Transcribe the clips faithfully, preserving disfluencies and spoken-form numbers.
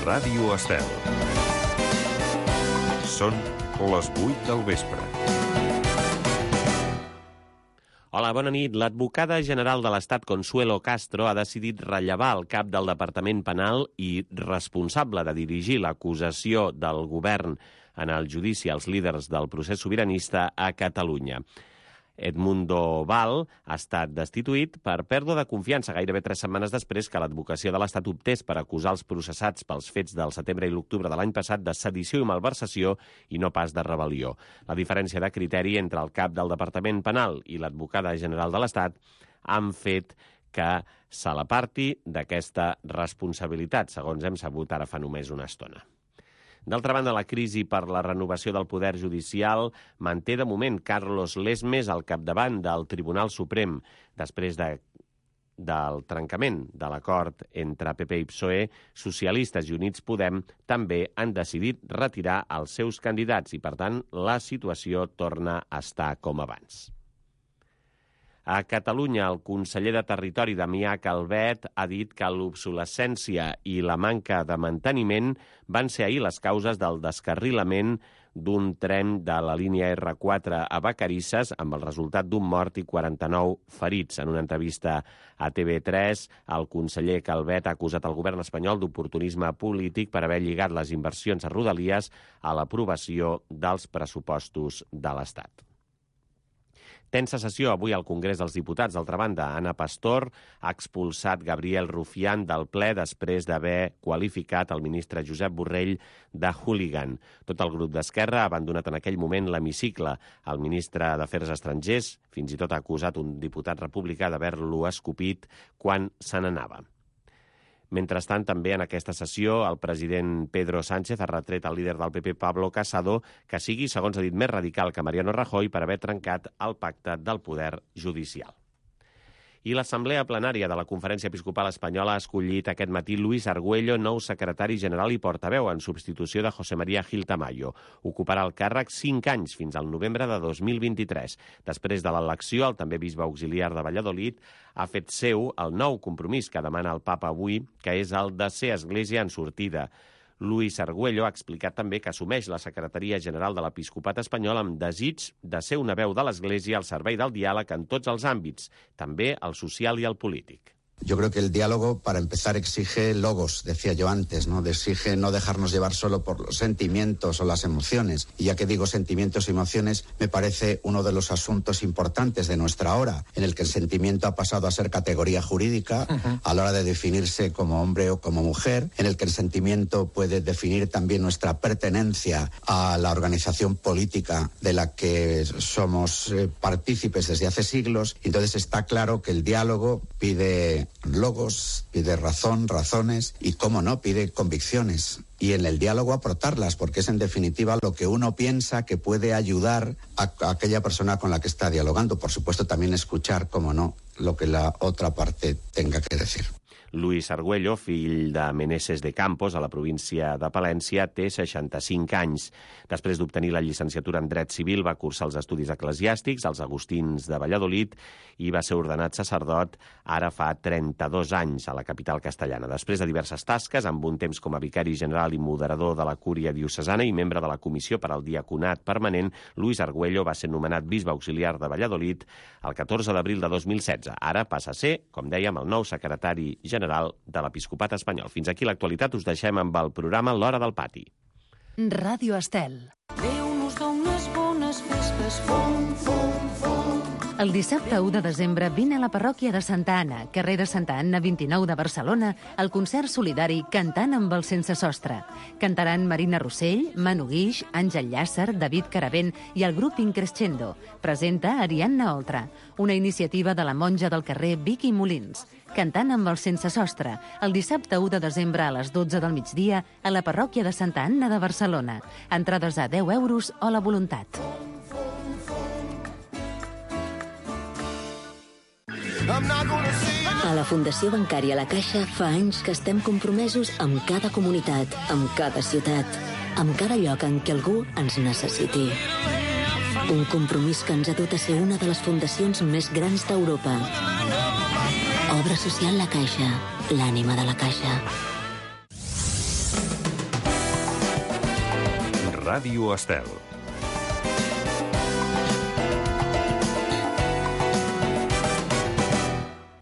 Ràdio Estel. Són les vuit del vespre. Hola, bona nit. L'advocada general de l'Estat, Consuelo Castro, ha decidit rellevar el cap del Departament Penal i responsable de dirigir l'acusació del govern en el judici als líders del procés sobiranista a Catalunya. Edmundo Val ha estat destituït per pèrdua de confiança gairebé tres setmanes després que l'advocacia de l'Estat optés per acusar els processats pels fets del setembre i l'octubre de l'any passat de sedició i malversació i no pas de rebel·lió. La diferència de criteri entre el cap del Departament Penal i l'advocada general de l'Estat han fet que se l'aparti d'aquesta responsabilitat, segons hem sabut ara fa només una estona. D'altra banda, la crisi per la renovació del poder judicial manté de moment Carlos Lesmes al capdavant del Tribunal Suprem. Després de, del trencament de l'acord entre P P i P S O E, Socialistes i Units Podem també han decidit retirar els seus candidats i, per tant, la situació torna a estar com abans. A Catalunya, el conseller de Territori, Damià Calvet, ha dit que l'obsolescència i la manca de manteniment van ser ahir les causes del descarrilament d'un tren de la línia erre quatre a Vacarisses, amb el resultat d'un mort i quaranta-nou ferits. En una entrevista a T V tres, el conseller Calvet ha acusat el govern espanyol d'oportunisme polític per haver lligat les inversions a Rodalies a l'aprovació dels pressupostos de l'Estat. Tensa sessió avui al Congrés dels Diputats. D'altra banda, Ana Pastor ha expulsat Gabriel Rufián del ple després d'haver qualificat el ministre Josep Borrell de hooligan. Tot el grup d'Esquerra ha abandonat en aquell moment l'hemicicle. El ministre d'Afers Estrangers fins i tot ha acusat un diputat republicà d'haver-lo escopit quan se n'anava. Mentrestant, també en aquesta sessió, el president Pedro Sánchez ha retret al líder del P P, Pablo Casado, que sigui, segons ha dit, més radical que Mariano Rajoy per haver trencat el pacte del poder judicial. I l'Assemblea Plenària de la Conferència Episcopal Espanyola ha escollit aquest matí Luis Argüello, nou secretari general i portaveu, en substitució de José María Gil Tamayo. Ocuparà el càrrec cinc anys, fins al novembre de dos mil vint-i-tres. Després de l'elecció, el també bisbe auxiliar de Valladolid ha fet seu el nou compromís que demana el papa avui, que és el de ser església en sortida. Luis Argüello ha explicat també que assumeix la Secretaria General de l'Episcopat espanyol amb desig de ser una veu de l'Església al servei del diàleg en tots els àmbits, també el social i el polític. Yo creo que el diálogo, para empezar, exige logos, decía yo antes, ¿no? Exige no dejarnos llevar solo por los sentimientos o las emociones. Y ya que digo sentimientos y emociones, me parece uno de los asuntos importantes de nuestra hora, en el que el sentimiento ha pasado a ser categoría jurídica uh-huh. a la hora de definirse como hombre o como mujer, en el que el sentimiento puede definir también nuestra pertenencia a la organización política de la que somos eh, partícipes desde hace siglos. Entonces está claro que el diálogo pide logos, pide razón, razones y, cómo no, pide convicciones. Y en el diálogo aportarlas, porque es en definitiva lo que uno piensa que puede ayudar a, a aquella persona con la que está dialogando. Por supuesto, también escuchar, cómo no, lo que la otra parte tenga que decir. Luis Argüello, fill de Meneses de Campos, a la província de Palència, té seixanta-cinc anys. Després d'obtenir la llicenciatura en Dret Civil, va cursar els estudis eclesiàstics als Agustins de Valladolid i va ser ordenat sacerdot ara fa trenta-dos anys a la capital castellana. Després de diverses tasques, amb un temps com a vicari general i moderador de la Cúria Diocesana i membre de la Comissió per al Diaconat Permanent, Luis Argüello va ser nomenat bisbe auxiliar de Valladolid el catorze d'abril de dos mil setze. Ara passa a ser, com dèiem, el nou secretari general general de l'Episcopat espanyol. Fins aquí l'actualitat, us deixem amb el programa L'Hora del Pati. Ràdio Estel. Déu nos dona unes bones festes, fum, fum, fum. El dissabte u de desembre vine a la parròquia de Santa Anna, carrer de Santa Anna vint-i-nou de Barcelona, el concert solidari Cantant amb el Sense Sostre. Cantaran Marina Rossell, Manu Guix, Àngel Llàcer, David Caravent i el grup Increscendo. Presenta Ariadna Oltra, una iniciativa de la monja del carrer Vicky Molins. Cantant amb el Sense Sostre, el dissabte u de desembre a les dotze del migdia a la parròquia de Santa Anna de Barcelona. Entrades a deu euros o la voluntat. A la Fundació Bancària La Caixa fa anys que estem compromesos amb cada comunitat, amb cada ciutat, amb cada lloc en què algú ens necessiti. Un compromís que ens ha dut a ser una de les fundacions més grans d'Europa. Obra social La Caixa, l'ànima de la Caixa. Ràdio Estel.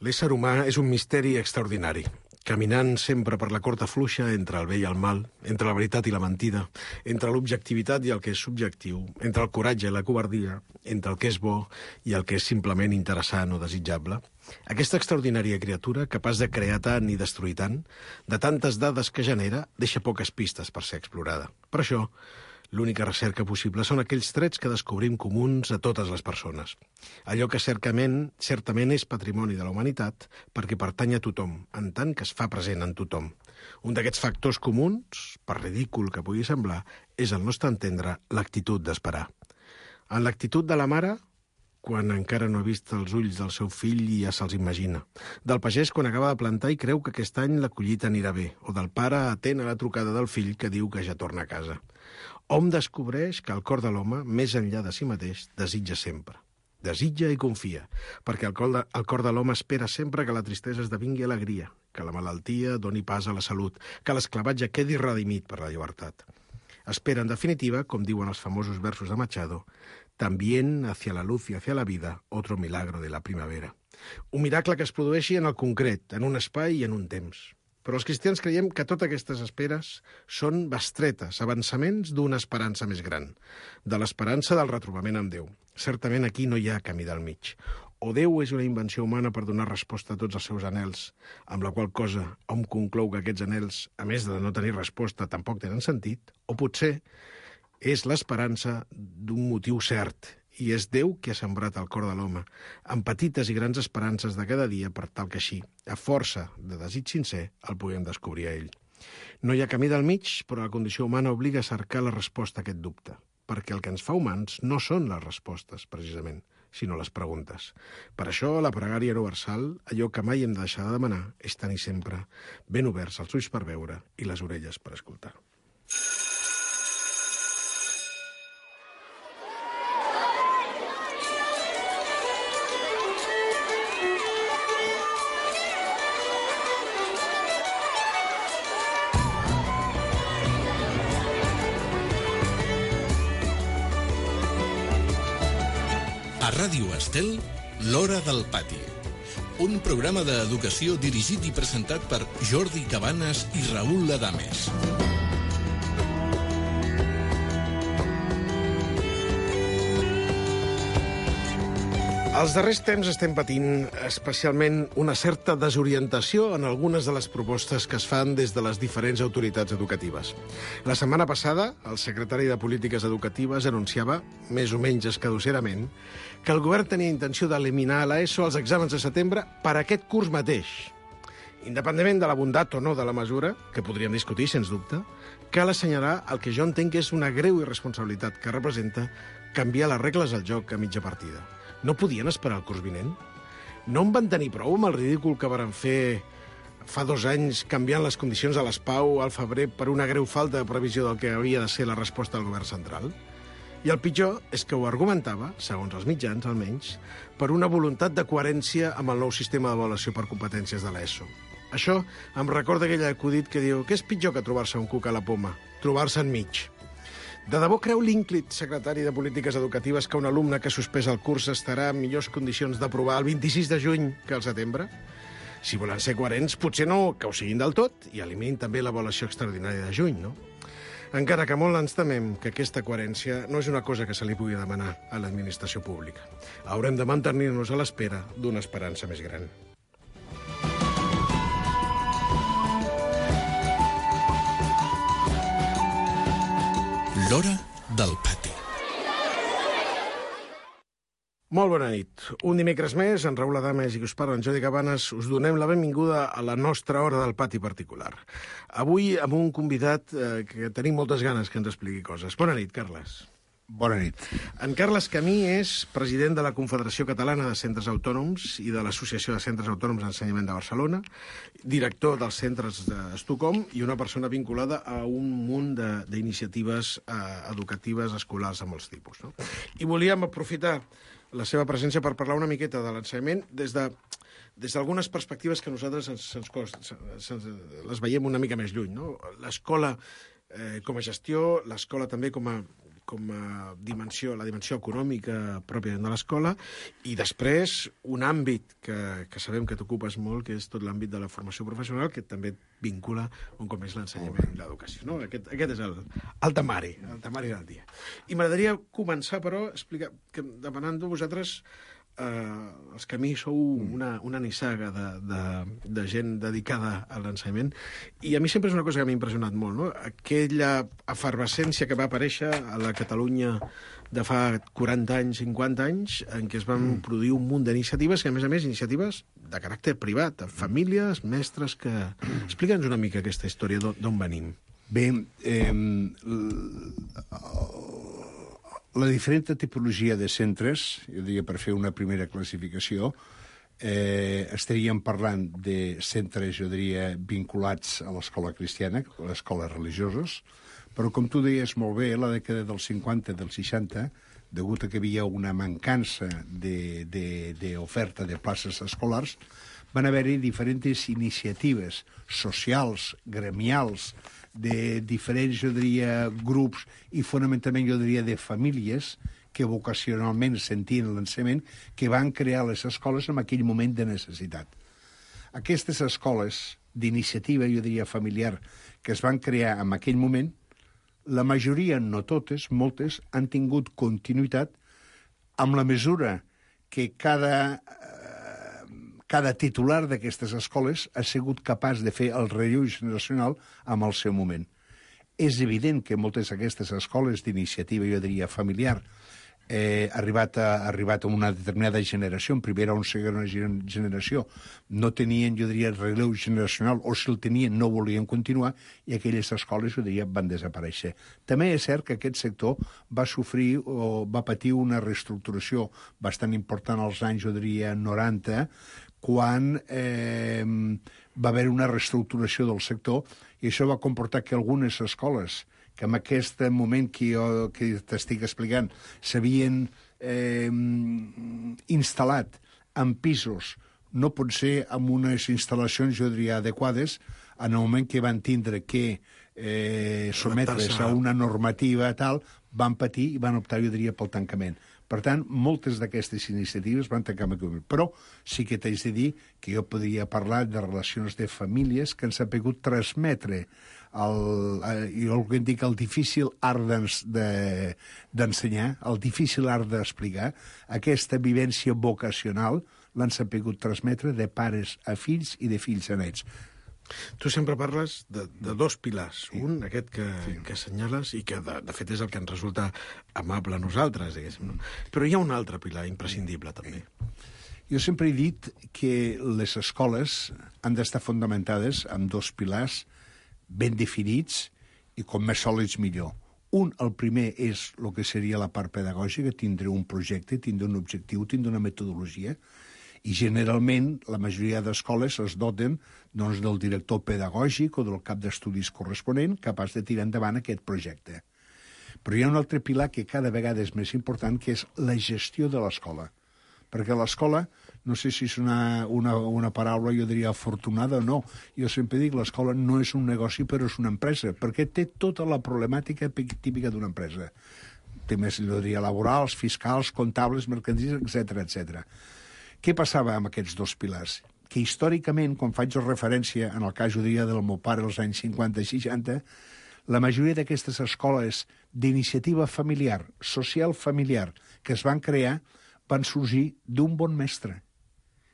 L'ésser humà és un misteri extraordinari, caminant sempre per la corda fluixa entre el bé i el mal, entre la veritat i la mentida, entre l'objectivitat i el que és subjectiu, entre el coratge i la covardia, entre el que és bo i el que és simplement interessant o desitjable. Aquesta extraordinària criatura, capaç de crear tant i destruir tant, de tantes dades que genera, deixa poques pistes per ser explorada. Per això, l'única recerca possible són aquells trets que descobrim comuns a totes les persones. Allò que certament, certament és patrimoni de la humanitat perquè pertany a tothom, en tant que es fa present en tothom. Un d'aquests factors comuns, per ridícul que pugui semblar, és el nostre entendre l'actitud d'esperar. En l'actitud de la mare, quan encara no ha vist els ulls del seu fill i ja se'ls imagina. Del pagès quan acaba de plantar i creu que aquest any la collita anirà bé. O del pare atent a la trucada del fill que diu que ja torna a casa. Hom descobreix que el cor de l'home, més enllà de si mateix, desitja sempre. Desitja i confia, perquè el cor de, el cor de l'home espera sempre que la tristesa esdevingui alegria, que la malaltia doni pas a la salut, que l'esclavatge quedi redimit per la llibertat. Espera, en definitiva, com diuen els famosos versos de Machado, «También hacia la luz y hacia la vida, otro milagro de la primavera». Un miracle que es produeixi en el concret, en un espai i en un temps. Però els cristians creiem que totes aquestes esperes són bestretes, avançaments d'una esperança més gran, de l'esperança del retrobament amb Déu. Certament aquí no hi ha camí del mig. O Déu és una invenció humana per donar resposta a tots els seus anhels, amb la qual cosa hom conclou que aquests anhels, a més de no tenir resposta, tampoc tenen sentit, o potser és l'esperança d'un motiu cert, i és Déu qui ha sembrat el cor de l'home, amb petites i grans esperances de cada dia per tal que així, a força de desig sincer, el puguem descobrir a ell. No hi ha camí del mig, però la condició humana obliga a cercar la resposta a aquest dubte, perquè el que ens fa humans no són les respostes, precisament, sinó les preguntes. Per això, la pregària universal, allò que mai hem de deixar de demanar, és tenir sempre ben oberts els ulls per veure i les orelles per escoltar. A Ràdio Estel, l'Hora del Pati. Un programa d'educació dirigit i presentat per Jordi Cabanes i Raül Ladames. Els darrers temps estem patint especialment una certa desorientació en algunes de les propostes que es fan des de les diferents autoritats educatives. La setmana passada, el secretari de Polítiques Educatives anunciava, més o menys escadusserament, que el govern tenia intenció d'eliminar a l'ESO els exàmens de setembre per aquest curs mateix. Independentment de la bondat o no de la mesura, que podríem discutir, sens dubte, cal assenyalar el que jo entenc que és una greu irresponsabilitat que representa canviar les regles del joc a mitja partida. No podien esperar el curs vinent? No en van tenir prou amb el ridícul que varen fer fa dos anys canviant les condicions de les Pau al febrer per una greu falta de previsió del que havia de ser la resposta del govern central? I el pitjor és que ho argumentava, segons els mitjans almenys, per una voluntat de coherència amb el nou sistema d'avaluació per competències de l'ESO. Això em recorda aquell acudit que diu que és pitjor que trobar-se un cuc a la poma, trobar-se enmig. De debò creu l'ínclit secretari de Polítiques Educatives que un alumne que ha suspès el curs estarà en millors condicions d'aprovar el vint-i-sis de juny que el setembre? Si volen ser coherents, potser no que ho siguin del tot i eliminin també l'avaluació extraordinària de juny, no? Encara que molt ens temem que aquesta coherència no és una cosa que se li pugui demanar a l'administració pública. Haurem de mantenir-nos a l'espera d'una esperança més gran. L'Hora del Pati. Molt bona nit. Un dimecres més, en Raül Ladames i que us parla en Jordi Cabanes, us donem la benvinguda a la nostra Hora del Pati particular. Avui amb un convidat eh, que tenim moltes ganes que ens expliqui coses. Bona nit, Carles. Bona nit. En Carles Camí és president de la Confederació Catalana de Centres Autònoms i de l'Associació de Centres Autònoms d'Ensenyament de Barcelona, director dels centres d'Estocolm i una persona vinculada a un munt d'iniciatives eh, educatives escolars de molts tipus. No? I volíem aprofitar la seva presència per parlar una miqueta de l'ensenyament des de des d'algunes perspectives que nosaltres ens, ens cost, ens, les veiem una mica més lluny. No? L'escola eh, com a gestió, l'escola també com a, com a dimensió, la dimensió econòmica pròpia de l'escola, i després un àmbit que, que sabem que t'ocupes molt, que és tot l'àmbit de la formació professional, que també et vincula un cop més l'ensenyament i l'educació. No? Aquest, aquest és el, el temari, el temari del dia. I m'agradaria començar, però, explicar, que demanant de vosaltres eh, els que a mi sou una, una nissaga de, de, de gent dedicada a l'ensenyament, i a mi sempre és una cosa que m'ha impressionat molt, no? Aquella efervescència que va aparèixer a la Catalunya de fa quaranta anys, cinquanta anys, en què es van mm. produir un munt d'iniciatives, que a més a més iniciatives de caràcter privat, de famílies, mestres, que... Explica'ns una mica aquesta història, d'on venim. Bé, eh, la diferent tipologia de centres, jo diria per fer una primera classificació, eh, estaríem parlant de centres, jo diria, vinculats a l'escola cristiana, a les escoles religioses, però com tu deies molt bé, la dècada dels cinquanta, dels seixanta, degut a que hi havia una mancança d'oferta de, de, de places escolars, van haver-hi diferents iniciatives socials, gremials, de diferents, jo diria, grups i fonamentalment, jo diria, de famílies que vocacionalment sentien l'ensenyament, que van crear les escoles en aquell moment de necessitat. Aquestes escoles d'iniciativa, jo diria, familiar, que es van crear en aquell moment, la majoria, no totes, moltes, han tingut continuïtat amb la mesura que cada, eh, cada titular d'aquestes escoles ha sigut capaç de fer el relleu generacional amb el seu moment. És evident que moltes d'aquestes escoles d'iniciativa, jo diria, familiar, eh, arribat a, arribat a una determinada generació, en primera o en segona generació, no tenien, jo diria, relleu generacional, o si el tenien no volien continuar, i aquelles escoles, jo diria, van desaparèixer. També és cert que aquest sector va sofrir o va patir una reestructuració bastant important als anys, jo diria, noranta, quan eh, va haver una reestructuració del sector, i això va comportar que algunes escoles que en aquest moment que jo que t'estic explicant s'havien eh, instal·lat en pisos, no pot ser amb unes instal·lacions, jo diria, adequades, en el moment que van tindre que eh, sometre's a una normativa tal, van patir i van optar, jo diria, pel tancament. Per tant, moltes d'aquestes iniciatives van tancar amb aquell moment. Però sí que t'haig de dir que jo podria parlar de relacions de famílies que ens ha pogut transmetre el, jo el que en dic el difícil art d'ensenyar, el difícil art d'explicar, aquesta vivència vocacional l'han sabut transmetre de pares a fills i de fills a nets. Tu sempre parles de, de dos pilars. Sí. Un, aquest que, sí. que assenyales i que, de, de fet, és el que ens resulta amable a nosaltres, diguéssim. No? Però hi ha un altre pilar imprescindible, també. Jo sempre he dit que les escoles han d'estar fundamentades amb dos pilars ben definits i com més sòlids millor. Un, el primer, és el que seria la part pedagògica, tindre un projecte, tindre un objectiu, tindre una metodologia, i generalment la majoria d'escoles es doten doncs, del director pedagògic o del cap d'estudis corresponent capaç de tirar endavant aquest projecte. Però hi ha un altre pilar que cada vegada és més important, que és la gestió de l'escola. Perquè l'escola, no sé si és una, una, una paraula, jo diria, afortunada o no, jo sempre dic que l'escola no és un negoci però és una empresa, perquè té tota la problemàtica típica d'una empresa. Temes, jo diria, laborals, fiscals, comptables, mercantils, etcètera, etcètera. Què passava amb aquests dos pilars? Que històricament, quan faig referència, en el cas, jo diria, del meu pare als anys cinquanta i seixanta, la majoria d'aquestes escoles d'iniciativa familiar, social familiar, que es van crear, van sorgir d'un bon mestre,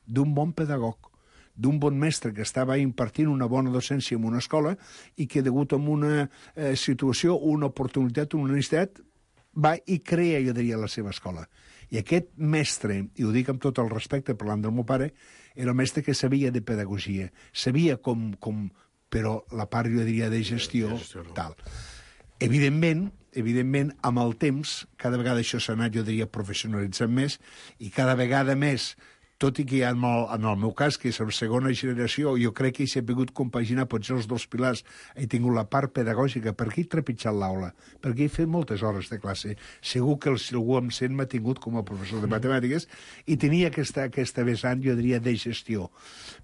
d'un bon pedagog, d'un bon mestre que estava impartint una bona docència en una escola i que, degut a una eh, situació, una oportunitat, una necessitat, va i crea, jo diria, la seva escola. I aquest mestre, i ho dic amb tot el respecte parlant del meu pare, era el mestre que sabia de pedagogia, sabia com, com però la part, jo diria, de gestió, tal. Evidentment, evidentment, amb el temps, cada vegada això s'ha anat, jo diria, professionalitzant més, i cada vegada més, tot i que en el, en el meu cas, que és la segona generació, jo crec que s'ha pogut compaginar potser els dos pilars. He tingut la part pedagògica, perquè he trepitjat l'aula, perquè he fet moltes hores de classe. Segur que si algú em sent m'ha tingut com a professor de matemàtiques i tenia aquesta, aquesta vessant, jo diria, de gestió.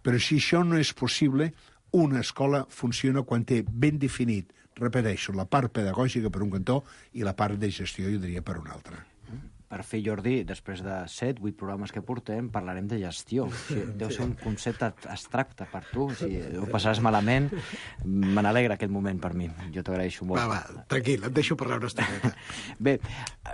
Però si això no és possible, una escola funciona quan té ben definit repeteixo, la part pedagògica per un cantó i la part de gestió, jo diria, per un altre. Per fi, Jordi, després de set, vuit programes que portem, parlarem de gestió. O sigui, deu ser un concepte abstracte per tu. O sigui, ho passaràs malament. Me n'alegra aquest moment per mi. Jo t'agraeixo molt. Va, va, tranquil, et deixo parlar una estoneta. Bé,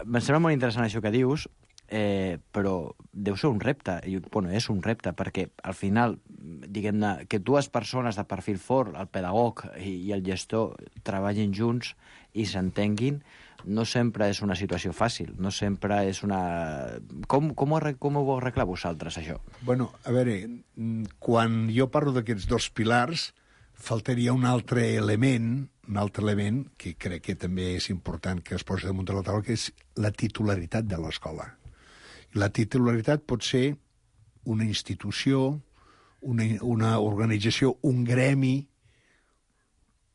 em sembla molt interessant això que dius, eh, però deu ser un repte. I, bueno, és un repte, perquè al final, diguem-ne, que dues persones de perfil fort, el pedagog i, i el gestor, treballin junts i s'entenguin, no sempre és una situació fàcil, no sempre és una... Com, com, ho, com ho vau arreglar vosaltres, això? Bueno, a veure, quan jo parlo d'aquests dos pilars, faltaria un altre element, un altre element, que crec que també és important que es posi damunt de la taula, que és la titularitat de l'escola. La titularitat pot ser una institució, una, una organització, un gremi,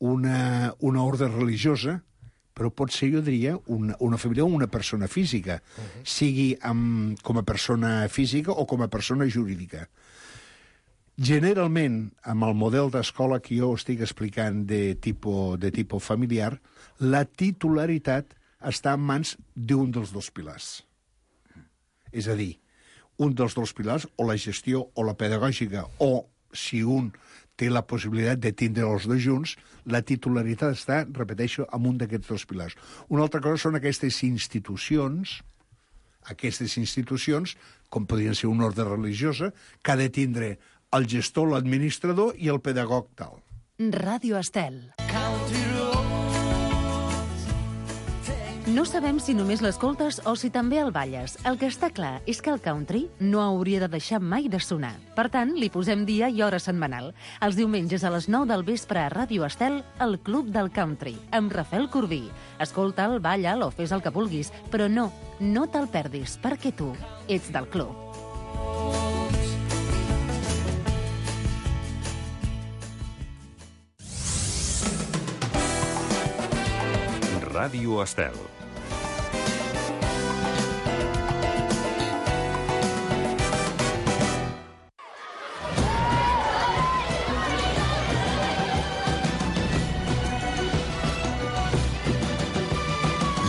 una, una ordre religiosa, però pot ser, jo diria, una, una família o una persona física, uh-huh. sigui amb, com a persona física o com a persona jurídica. Generalment, amb el model d'escola que jo estic explicant de tipus, de tipus familiar, la titularitat està en mans d'un dels dos pilars. És a dir, un dels dos pilars, o la gestió o la pedagògica, o si un té la possibilitat de tindre els dos junts, la titularitat està, repeteixo, en un d'aquests dos pilars. Una altra cosa són aquestes institucions, aquestes institucions, com podrien ser una ordre religiosa, que ha de tindre el gestor, l'administrador i el pedagog tal. Ràdio Estel. No sabem si només l'escoltes o si també el balles. El que està clar és que el country no hauria de deixar mai de sonar. Per tant, li posem dia i hora setmanal. Els diumenges a les nou del vespre a Ràdio Estel, el Club del Country, amb Rafael Corbí. Escolta'l, balla'l o fes el que vulguis, però no, no te'l perdis, perquè tu ets del club. Ràdio Estel.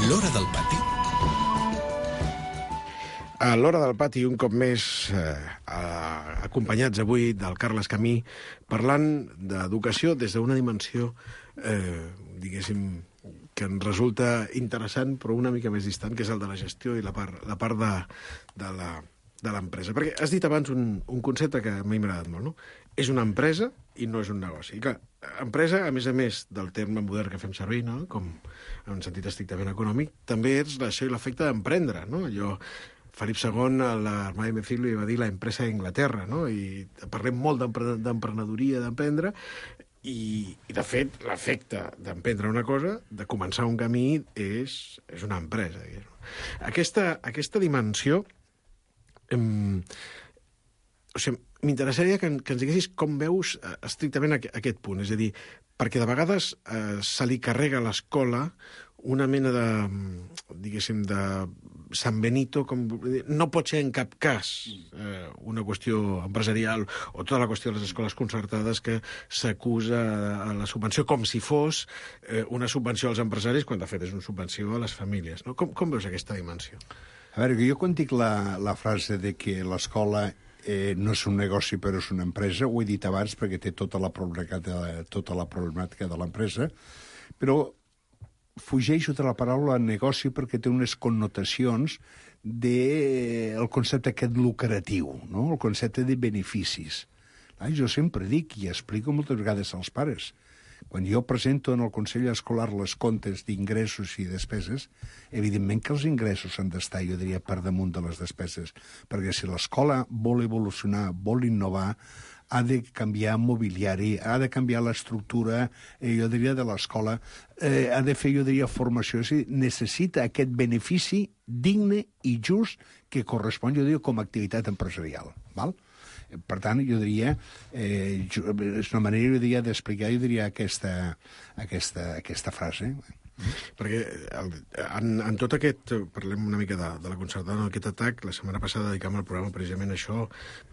L'Hora del Pati. A l'Hora del Pati, un cop més, eh, acompanyats avui del Carles Camí, parlant d'educació des d'una dimensió, eh, diguéssim, que ens resulta interessant, però una mica més distant, que és el de la gestió i la part, la part de, de la de l'empresa. Perquè has dit abans un, un concepte que a mi m'ha agradat molt, no? És una empresa i no és un negoci. I clar, empresa, a més a més del terme modern que fem servir, no? Com en un sentit estrictament econòmic, també és això i l'efecte d'emprendre, no? Allò, Felip segon, a l'Armada de Mefil, li va dir la empresa d'Inglaterra, no? I parlem molt d'emprenedoria, d'emprendre, i, i de fet, l'efecte d'emprendre una cosa, de començar un camí, és, és una empresa. Aquesta, aquesta dimensió, em, o sigui, m'interessaria que, que ens diguessis com veus eh, estrictament aqu aquest punt. És a dir, perquè de vegades eh, se li carrega a l'escola una mena de, diguéssim, de San Benito, com, no pot ser en cap cas eh, una qüestió empresarial o tota la qüestió de les escoles concertades que s'acusa a la subvenció com si fos eh, una subvenció als empresaris, quan de fet és una subvenció a les famílies. No? Com, com veus aquesta dimensió? A veure, jo quan dic la, la frase de que l'escola eh, no és un negoci però és una empresa, ho he dit abans perquè té tota la problemàtica, tota la problemàtica de l'empresa, però fugeixo de la paraula negoci perquè té unes connotacions del de concepte aquest lucratiu, no? El concepte de beneficis. Ah, jo sempre dic i explico moltes vegades als pares, quan jo presento en el Consell Escolar les comptes d'ingressos i despeses, evidentment que els ingressos han d'estar, jo diria, per damunt de les despeses, perquè si l'escola vol evolucionar, vol innovar, ha de canviar mobiliari, ha de canviar l'estructura, eh, jo diria, de l'escola, eh, ha de fer, jo diria, formació. És a dir, necessita aquest benefici digne i just que correspon, jo diria, com a activitat empresarial. Val? Per tant, jo diria, eh, jo, és una manera, jo diria, d'explicar, jo diria, aquesta, aquesta, aquesta frase. Perquè en, en tot aquest, parlem una mica de, de la concertada, en aquest atac, la setmana passada dedicàvem al programa precisament a això,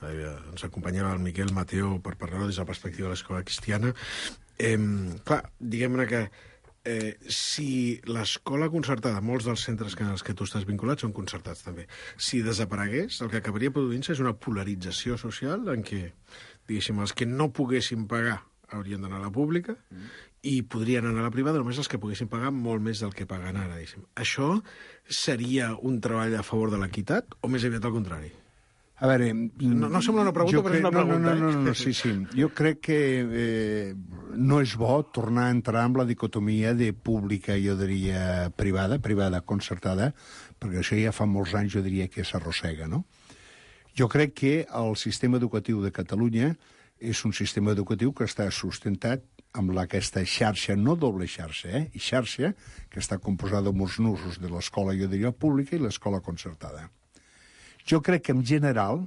eh, ens acompanyava el Miquel Mateo per parlar des de la perspectiva de l'escola cristiana. Eh, clar, diguem-ne que Eh, si l'escola concertada, molts dels centres que, als que tu estàs vinculat són concertats també, si desaparegués, el que acabaria produint-se és una polarització social en què, diguéssim, els que no poguessin pagar haurien d'anar a la pública mm. i podrien anar a la privada només els que poguessin pagar molt més del que paguen ara, diguéssim. Això seria un treball a favor de l'equitat o més aviat al contrari? A veure... No, no sembla una pregunta, però és una pregunta. No, no, no, eh? no, sí, sí. Jo crec que eh, no és bo tornar a entrar en la dicotomia de pública, jo diria, privada, privada concertada, perquè això ja fa molts anys, jo diria, que s'arrossega, no? Jo crec que el sistema educatiu de Catalunya és un sistema educatiu que està sustentat amb aquesta xarxa, no doble xarxa, eh? I xarxa que està composada amb els nusos de l'escola, jo diria, pública i l'escola concertada. Jo crec que, en general,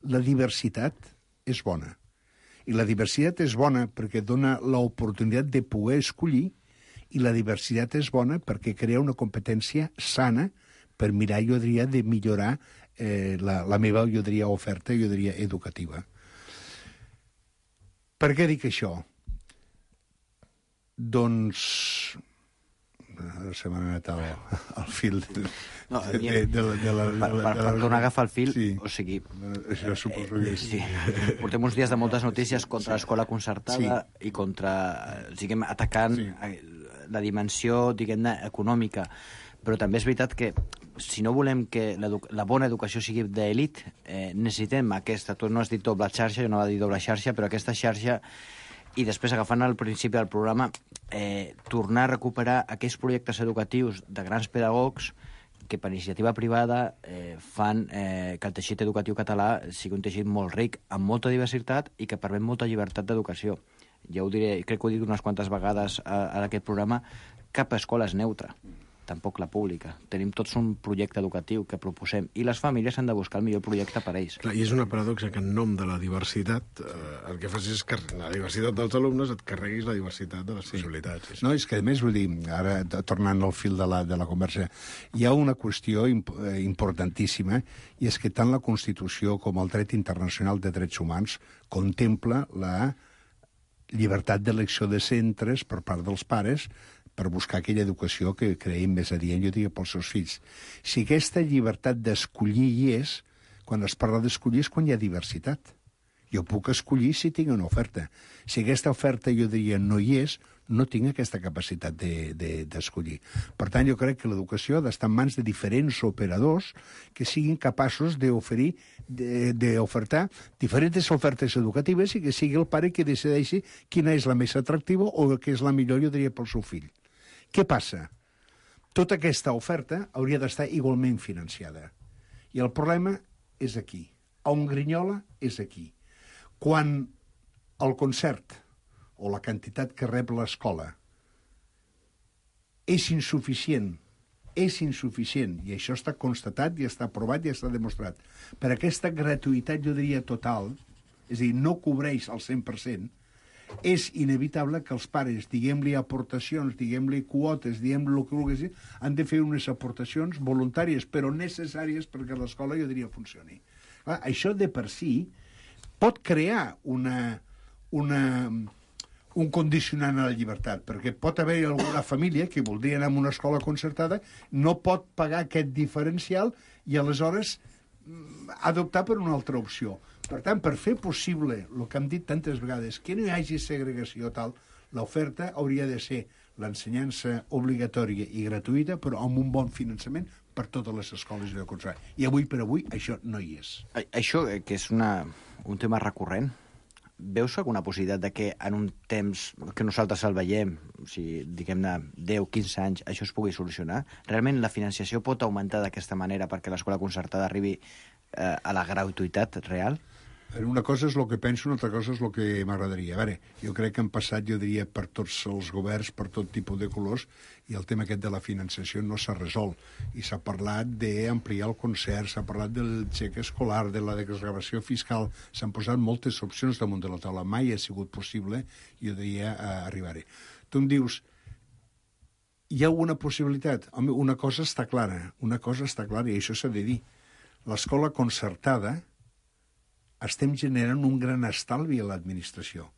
la diversitat és bona. I la diversitat és bona perquè dona l'oportunitat de poder escollir, i la diversitat és bona perquè crea una competència sana per mirar, jo diria, de millorar eh, la, la meva, jo diria, oferta, jo diria, educativa. Per què dic això? Doncs... Ara se m'ha anat al, al fil de, no, de, de, de, la, de, la, de, la, per, per, de la... per tornar a agafar el fil, sí. O sigui... Això suposo que sí. Portem uns dies de moltes notícies contra l'escola concertada sí. I contra, diguem, atacant sí. La dimensió, diguem-ne, econòmica. Però també és veritat que si no volem que la bona educació sigui d'elit, eh, necessitem aquesta, tu no has dit doble xarxa, jo no va dir doble xarxa, però aquesta xarxa. I després, agafant al principi del programa, eh, tornar a recuperar aquells projectes educatius de grans pedagogs que per iniciativa privada eh, fan eh, que el teixit educatiu català sigui un teixit molt ric, amb molta diversitat i que permet molta llibertat d'educació. Ja ho diré, crec que ho he dit unes quantes vegades a, a aquest programa, cap escola és neutra, tampoc la pública. Tenim tots un projecte educatiu que proposem i les famílies han de buscar el millor projecte per a ells. Clar, i és una paradoxa que en nom de la diversitat eh, el que fas és que la diversitat dels alumnes et carreguis la diversitat de les possibilitats. Sí. No, és que a més, vull dir, ara tornant al fil de la, de la conversa, hi ha una qüestió imp importantíssima i és que tant la Constitució com el dret internacional de drets humans contempla la llibertat d'elecció de centres per part dels pares per buscar aquella educació que creiem més adient, jo diria, pels seus fills. Si aquesta llibertat d'escollir hi és, quan es parla d'escollir és quan hi ha diversitat. Jo puc escollir si tinc una oferta. Si aquesta oferta, jo diria, no hi és, no tinc aquesta capacitat d'escollir. De, de, per tant, jo crec que l'educació ha d'estar en mans de diferents operadors que siguin capaços d'oferir, d'ofertar diferents ofertes educatives i que sigui el pare que decideixi quina és la més atractiva o què és la millor, jo diria, pel seu fill. Què passa? Tota aquesta oferta hauria d'estar igualment financiada. I el problema és aquí. On grinyola és aquí. Quan el concert o la quantitat que rep l'escola és insuficient, és insuficient, i això està constatat i està aprovat i està demostrat, per aquesta gratuïtat, jo diria, total, és a dir, no cobreix el cent per cent, és inevitable que els pares, diguem-li aportacions, diguem-li quotes, diguem-li el que vulguis, han de fer unes aportacions voluntàries, però necessàries perquè l'escola, jo diria, funcioni. Clar, això de per si pot crear una, una, un condicionant a la llibertat, perquè pot haver alguna família que voldria anar a una escola concertada, no pot pagar aquest diferencial i aleshores adoptar per una altra opció. Per tant, per fer possible el que hem dit tantes vegades, que no hi hagi segregació tal, l'oferta hauria de ser l'ensenyança obligatòria i gratuïta, però amb un bon finançament per totes les escoles de concertada. I avui per avui això no hi és. Això, que és una, un tema recurrent, veus alguna possibilitat de que en un temps que nosaltres el veiem, o sigui, diguem-ne deu a quinze anys, això es pugui solucionar? Realment la financiació pot augmentar d'aquesta manera perquè l'escola concertada arribi eh, a la gratuïtat real? Una cosa és el que penso, una altra cosa és el que m'agradaria. A veure, jo crec que han passat, jo diria, per tots els governs, per tot tipus de colors, i el tema aquest de la financiació no s'ha resolt. I s'ha parlat d'ampliar el concert, s'ha parlat del xec escolar, de la desgravació fiscal, s'han posat moltes opcions damunt de la taula. Mai ha sigut possible, jo diria, arribar-hi. Tu em dius, hi ha alguna possibilitat? Home, una cosa està clara, una cosa està clara, i això s'ha de dir. L'escola concertada estem generant un gran estalvi a l'administració.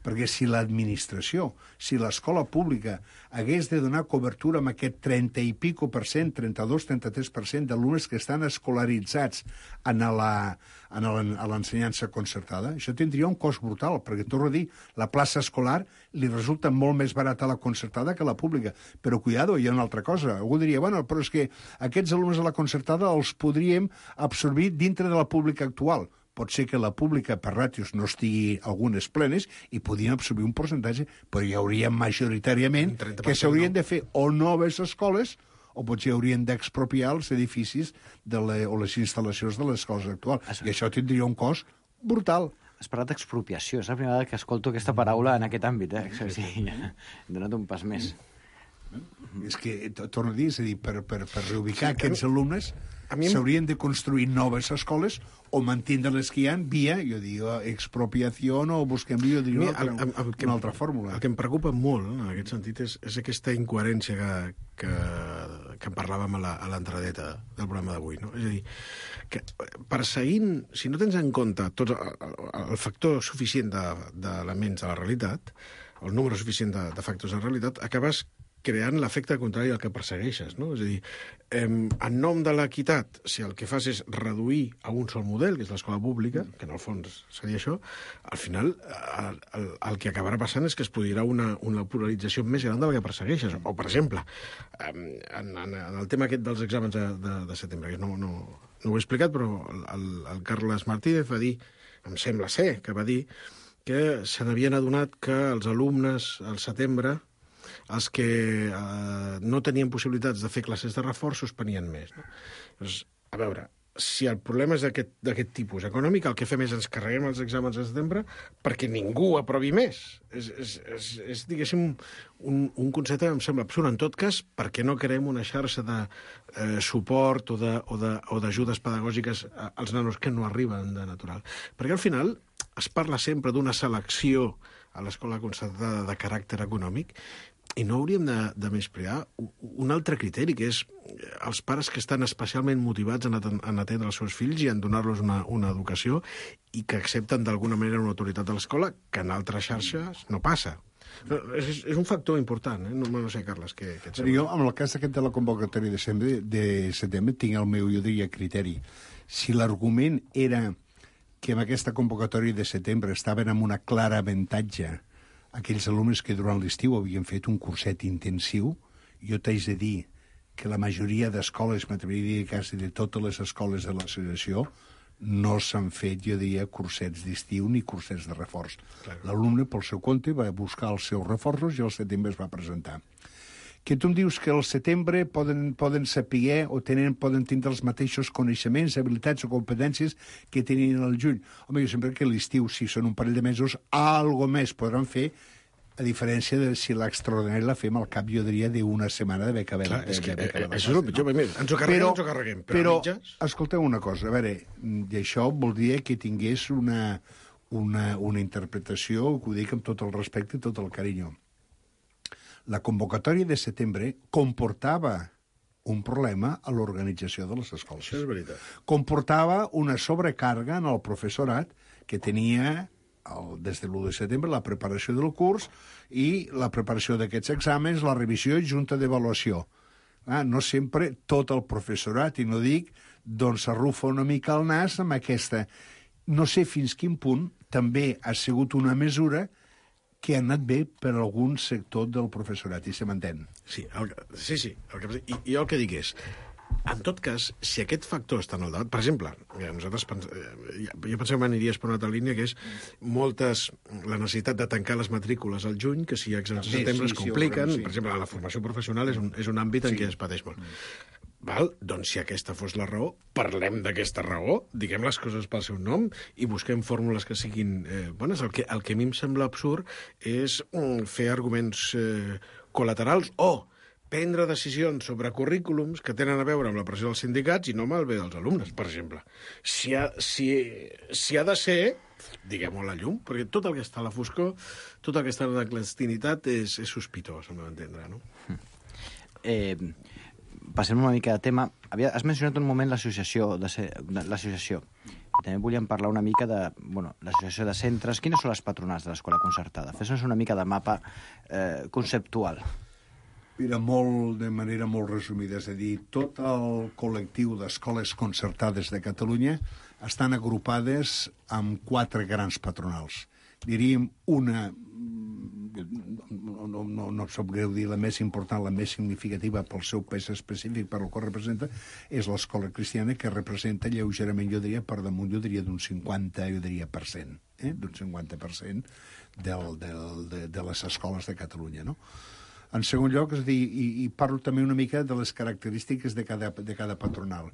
perquè si l'administració, si l'escola pública hagués de donar cobertura amb aquest trenta i pico per cent, trenta-dos trenta-tres per cent d'alumnes que estan escolaritzats en la, en l'ensenyança concertada, això tindria un cost brutal, perquè, torno a dir, la plaça escolar li resulta molt més barata a la concertada que a la pública. Però, cuidado, hi ha una altra cosa. Algú diria, bueno, però és que aquests alumnes de la concertada els podríem absorbir dintre de la pública actual. Pot ser que la pública, per ràtios, no estigui algunes plenes i podien absorbir un percentatge, però hi hauria majoritàriament que s'haurien de fer o noves escoles o potser haurien d'expropiar els edificis de la, o les instal·lacions de les escoles actuals. I això tindria un cost brutal. Has parlat d'expropiació. És la primera vegada que escolto aquesta paraula en aquest àmbit. Eh? O sigui, he donat un pas més. És que, torno a dir, és a dir, per, per, per reubicar sí, aquests alumnes s'haurien de construir noves escoles o mantindre les que hi ha via, jo digo, expropiació o busquem, jo diria, una, altra, el, el, una altra fórmula. El que em preocupa molt, no, en aquest sentit, és, és aquesta incoherència que, que, que en parlàvem a l'entradeta del programa d'avui. No? És a dir, que perseguint, si no tens en compte tot el, el factor suficient d'elements de, de la realitat, el número suficient de, de factors de realitat, acabes creant l'efecte contrari al que persegueixes, no? És a dir, eh, en nom de l'equitat, si el que fas és reduir a un sol model, que és l'escola pública, que en el fons seria això, al final el, el, el que acabarà passant és que es produirà una, una polarització més gran de la que persegueixes. O, per exemple, eh, en, en, en el tema aquest dels exàmens de, de, de setembre, que no, no, no ho he explicat, però el, el Carles Martínez va dir, em sembla ser, que va dir que se n'havien adonat que els alumnes al setembre, els que eh, no tenien possibilitats de fer classes de reforç, suspenien més. No? Doncs, a veure, si el problema és d'aquest tipus econòmic, el que fem és ens carreguem els exàmens de setembre perquè ningú aprovi més. És, és, és, és diguéssim, un, un concepte que em sembla absurd. En tot cas, perquè no creem una xarxa de eh, suport o d'ajudes pedagògiques als nanos que no arriben de natural. Perquè al final es parla sempre d'una selecció a l'escola concertada de caràcter econòmic, i no hauríem de, de menysprear un altre criteri, que és els pares que estan especialment motivats en, en atendre els seus fills i en donar-los una, una educació i que accepten d'alguna manera una autoritat de l'escola que en altres xarxes no passa. No, és, és un factor important, eh? no, no sé, Carles, què, què et sembla? Jo, en el cas aquest de la convocatòria de setembre, de setembre tinc el meu, jo diria, criteri. Si l'argument era que amb aquesta convocatòria de setembre estaven amb una clara avantatge aquells alumnes que durant l'estiu havien fet un curset intensiu, jo t'haig de dir que la majoria d'escoles, m'atreviria a dir quasi de totes les escoles de l'associació, no s'han fet, jo diria, cursets d'estiu ni cursets de reforç. Claro. L'alumne, pel seu compte, va buscar els seus reforços i al setembre es va presentar. Que tu em dius que al setembre poden, poden saber o tenen, poden tindre els mateixos coneixements, habilitats o competències que tenien al juny. Home, jo sempre que l'estiu, si són un parell de mesos, algo més podran fer, a diferència de si l'extraordinari la fem al cap, jo diria, d'una setmana d'haver acabat. Clar, és que eh, això és el pitjor. No? Ens ho carreguem, però, ens ho carreguem. Però, però mitges... escolteu una cosa, a veure, i això voldria que tingués una, una, una interpretació, que ho dic amb tot el respecte i tot el carinyo. La convocatòria de setembre comportava un problema a l'organització de les escoles. Això és veritat. Comportava una sobrecàrrega en el professorat que tenia, el, des de l'u de setembre, la preparació del curs i la preparació d'aquests exàmens, la revisió i junta d'avaluació. Ah, no sempre tot el professorat, i no dic, doncs s'arrufa una mica el nas amb aquesta. No sé fins quin punt també ha sigut una mesura que ha anat bé per algun sector del professorat, i se m'entén. Sí, el, sí, sí. El que, i, I el que dic és, en tot cas, si aquest factor està en el debat, per exemple, nosaltres pens, jo pensem que aniries per una altra línia, que és moltes, la necessitat de tancar les matrícules al juny, que si hi ha exàmens de setembre sí, es compliquen, sí, sí. Per exemple, la formació professional és un, és un àmbit en sí. què es pateix molt. Mm. Val? Doncs si aquesta fos la raó, parlem d'aquesta raó, diguem les coses pel seu nom i busquem fórmules que siguin eh, bones. El que, el que a mi em sembla absurd és mm, fer arguments eh, col·laterals o prendre decisions sobre currículums que tenen a veure amb la pressió dels sindicats i no amb el bé dels alumnes, per exemple. Si ha, si, si ha de ser, diguem-ho a la llum, perquè tot el que està a la foscor, tot el que està a la clandestinitat és, és sospitós, al meu entendre, no? Eh... Passem una mica de tema. Havia, has mencionat un moment l'associació. L'associació. també volíem parlar una mica de bueno, l'associació de centres. Quines són les patronals de l'escola concertada? Fes-nos una mica de mapa eh, conceptual. Mira, molt, de manera molt resumida, és a dir, tot el col·lectiu d'escoles concertades de Catalunya estan agrupades amb quatre grans patronals. Diríem una, no, no, no, no em sap greu dir, la més important, la més significativa pel seu pes específic, per el que representa, és l'escola cristiana, que representa lleugerament, jo diria, per damunt, jo diria, d'un cinquanta, jo diria, per cent, eh? d'un cinquanta per cent del, del, de, de les escoles de Catalunya, no? En segon lloc, és a dir, i, i parlo també una mica de les característiques de cada, de cada patronal.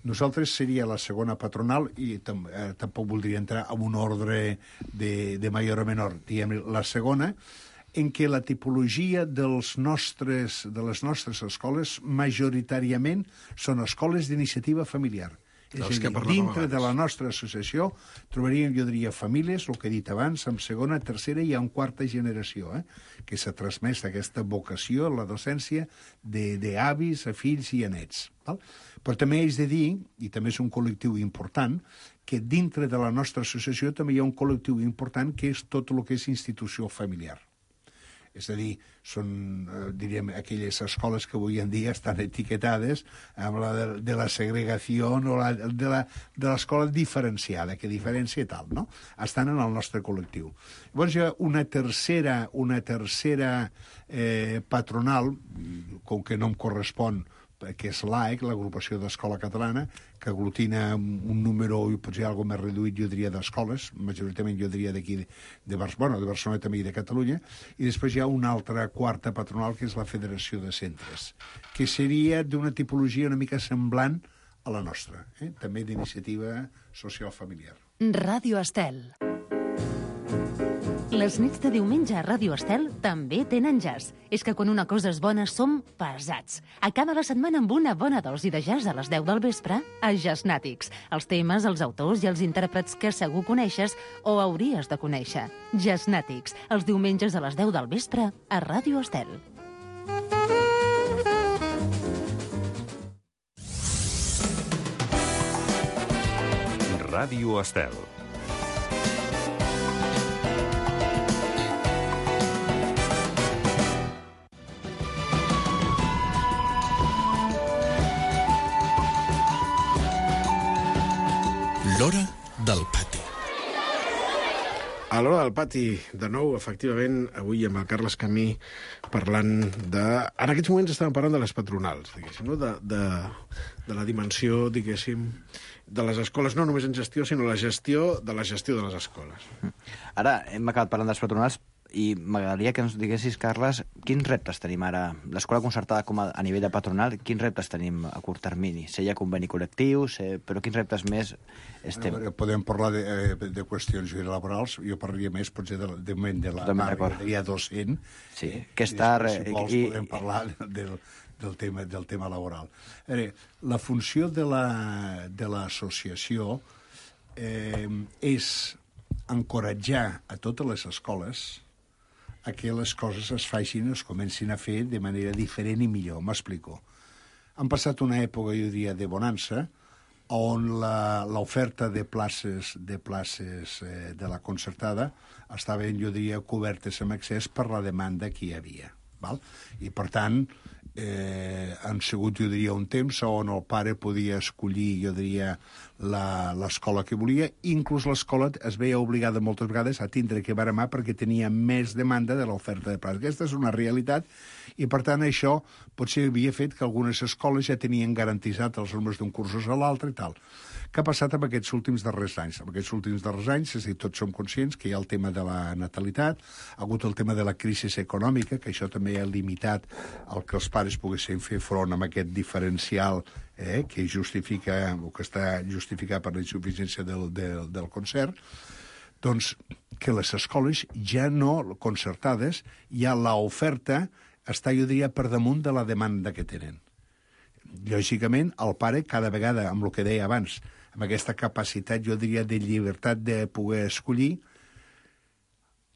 Nosaltres seria la segona patronal i tam, eh, tampoc voldria entrar en un ordre de, de major o menor. Diguem, la segona, en què la tipologia dels nostres, de les nostres escoles majoritàriament són escoles d'iniciativa familiar. És a dir, dintre de la nostra associació trobaríem, jo diria, famílies, el que he dit abans, en segona, tercera i en quarta generació, eh? que s'ha transmès aquesta vocació, la docència, d'avis a fills i a nets. Val? Però també és de dir, i també és un col·lectiu important, que dintre de la nostra associació també hi ha un col·lectiu important que és tot el que és institució familiar. És a dir, són, eh, diríem, aquelles escoles que avui en dia estan etiquetades amb la de, de la segregació o la, de l'escola diferenciada, que diferencia tal, no? Estan en el nostre col·lectiu. Llavors hi ha una tercera, una tercera eh, patronal, com que no em correspon, que és l'A E C, l'Agrupació d'Escola Catalana, que aglutina un número, potser algo més reduït, jo diria, d'escoles, majoritàriament jo diria d'aquí, de, de, bueno, de Barcelona també i de Catalunya, i després hi ha una altra quarta patronal, que és la Federació de Centres, que seria d'una tipologia una mica semblant a la nostra, eh? també d'iniciativa social familiar. Ràdio Estel. Les nits de diumenge a Ràdio Estel també tenen jazz. És que quan una cosa és bona som pesats. Acaba la setmana amb una bona dosi de jazz a les deu del vespre a Jazznàtics. Els temes, els autors i els intèrprets que segur coneixes o hauries de conèixer. Jazznàtics, els diumenges a les deu del vespre a Ràdio Estel. Ràdio Estel. L'hora del pati. A l'hora del pati, de nou, efectivament, avui amb el Carles Camí parlant de... En aquests moments estàvem parlant de les patronals, diguéssim, no? de, de, de la dimensió, diguéssim, de les escoles, no només en gestió, sinó la gestió de la gestió de les escoles. Ara hem acabat parlant dels patronals i m'agradaria que ens diguessis, Carles, quins reptes tenim ara? L'escola concertada com a, a nivell de patronal, quins reptes tenim a curt termini? Sé hi ha conveni col·lectiu, sé, però quins reptes més estem... Veure, podem parlar de, de qüestions laborals, jo parlaria més potser de, de moment de la majoria docent. Sí, que és tard... Si vols, i, podem parlar del, del, tema, del tema laboral. Veure, la funció de l'associació la, eh, és encoratjar a totes les escoles a que les coses es facin, es comencin a fer de manera diferent i millor. M'explico. Han passat una època, jo diria, de bonança, on l'oferta de places de places eh, de la concertada estaven, jo diria, cobertes amb excés per la demanda que hi havia. Val? I, per tant, eh, han sigut, jo diria, un temps on el pare podia escollir, jo diria, l'escola que volia, inclús l'escola es veia obligada moltes vegades a tindre que baremar perquè tenia més demanda de l'oferta de places. Aquesta és una realitat i, per tant, això potser havia fet que algunes escoles ja tenien garantitzat els alumnes d'un cursos a l'altre i tal. Què ha passat amb aquests últims darrers anys? En aquests últims darrers anys, és a dir, tots som conscients que hi ha el tema de la natalitat, ha hagut el tema de la crisi econòmica, que això també ha limitat el que els pares poguessin fer front amb aquest diferencial eh, que justifica, o que està justificat per la insuficiència del, del, del concert, doncs que les escoles ja no concertades, ja l'oferta està, jo diria, per damunt de la demanda que tenen. Lògicament, el pare, cada vegada, amb el que deia abans, amb aquesta capacitat, jo diria, de llibertat de poder escollir,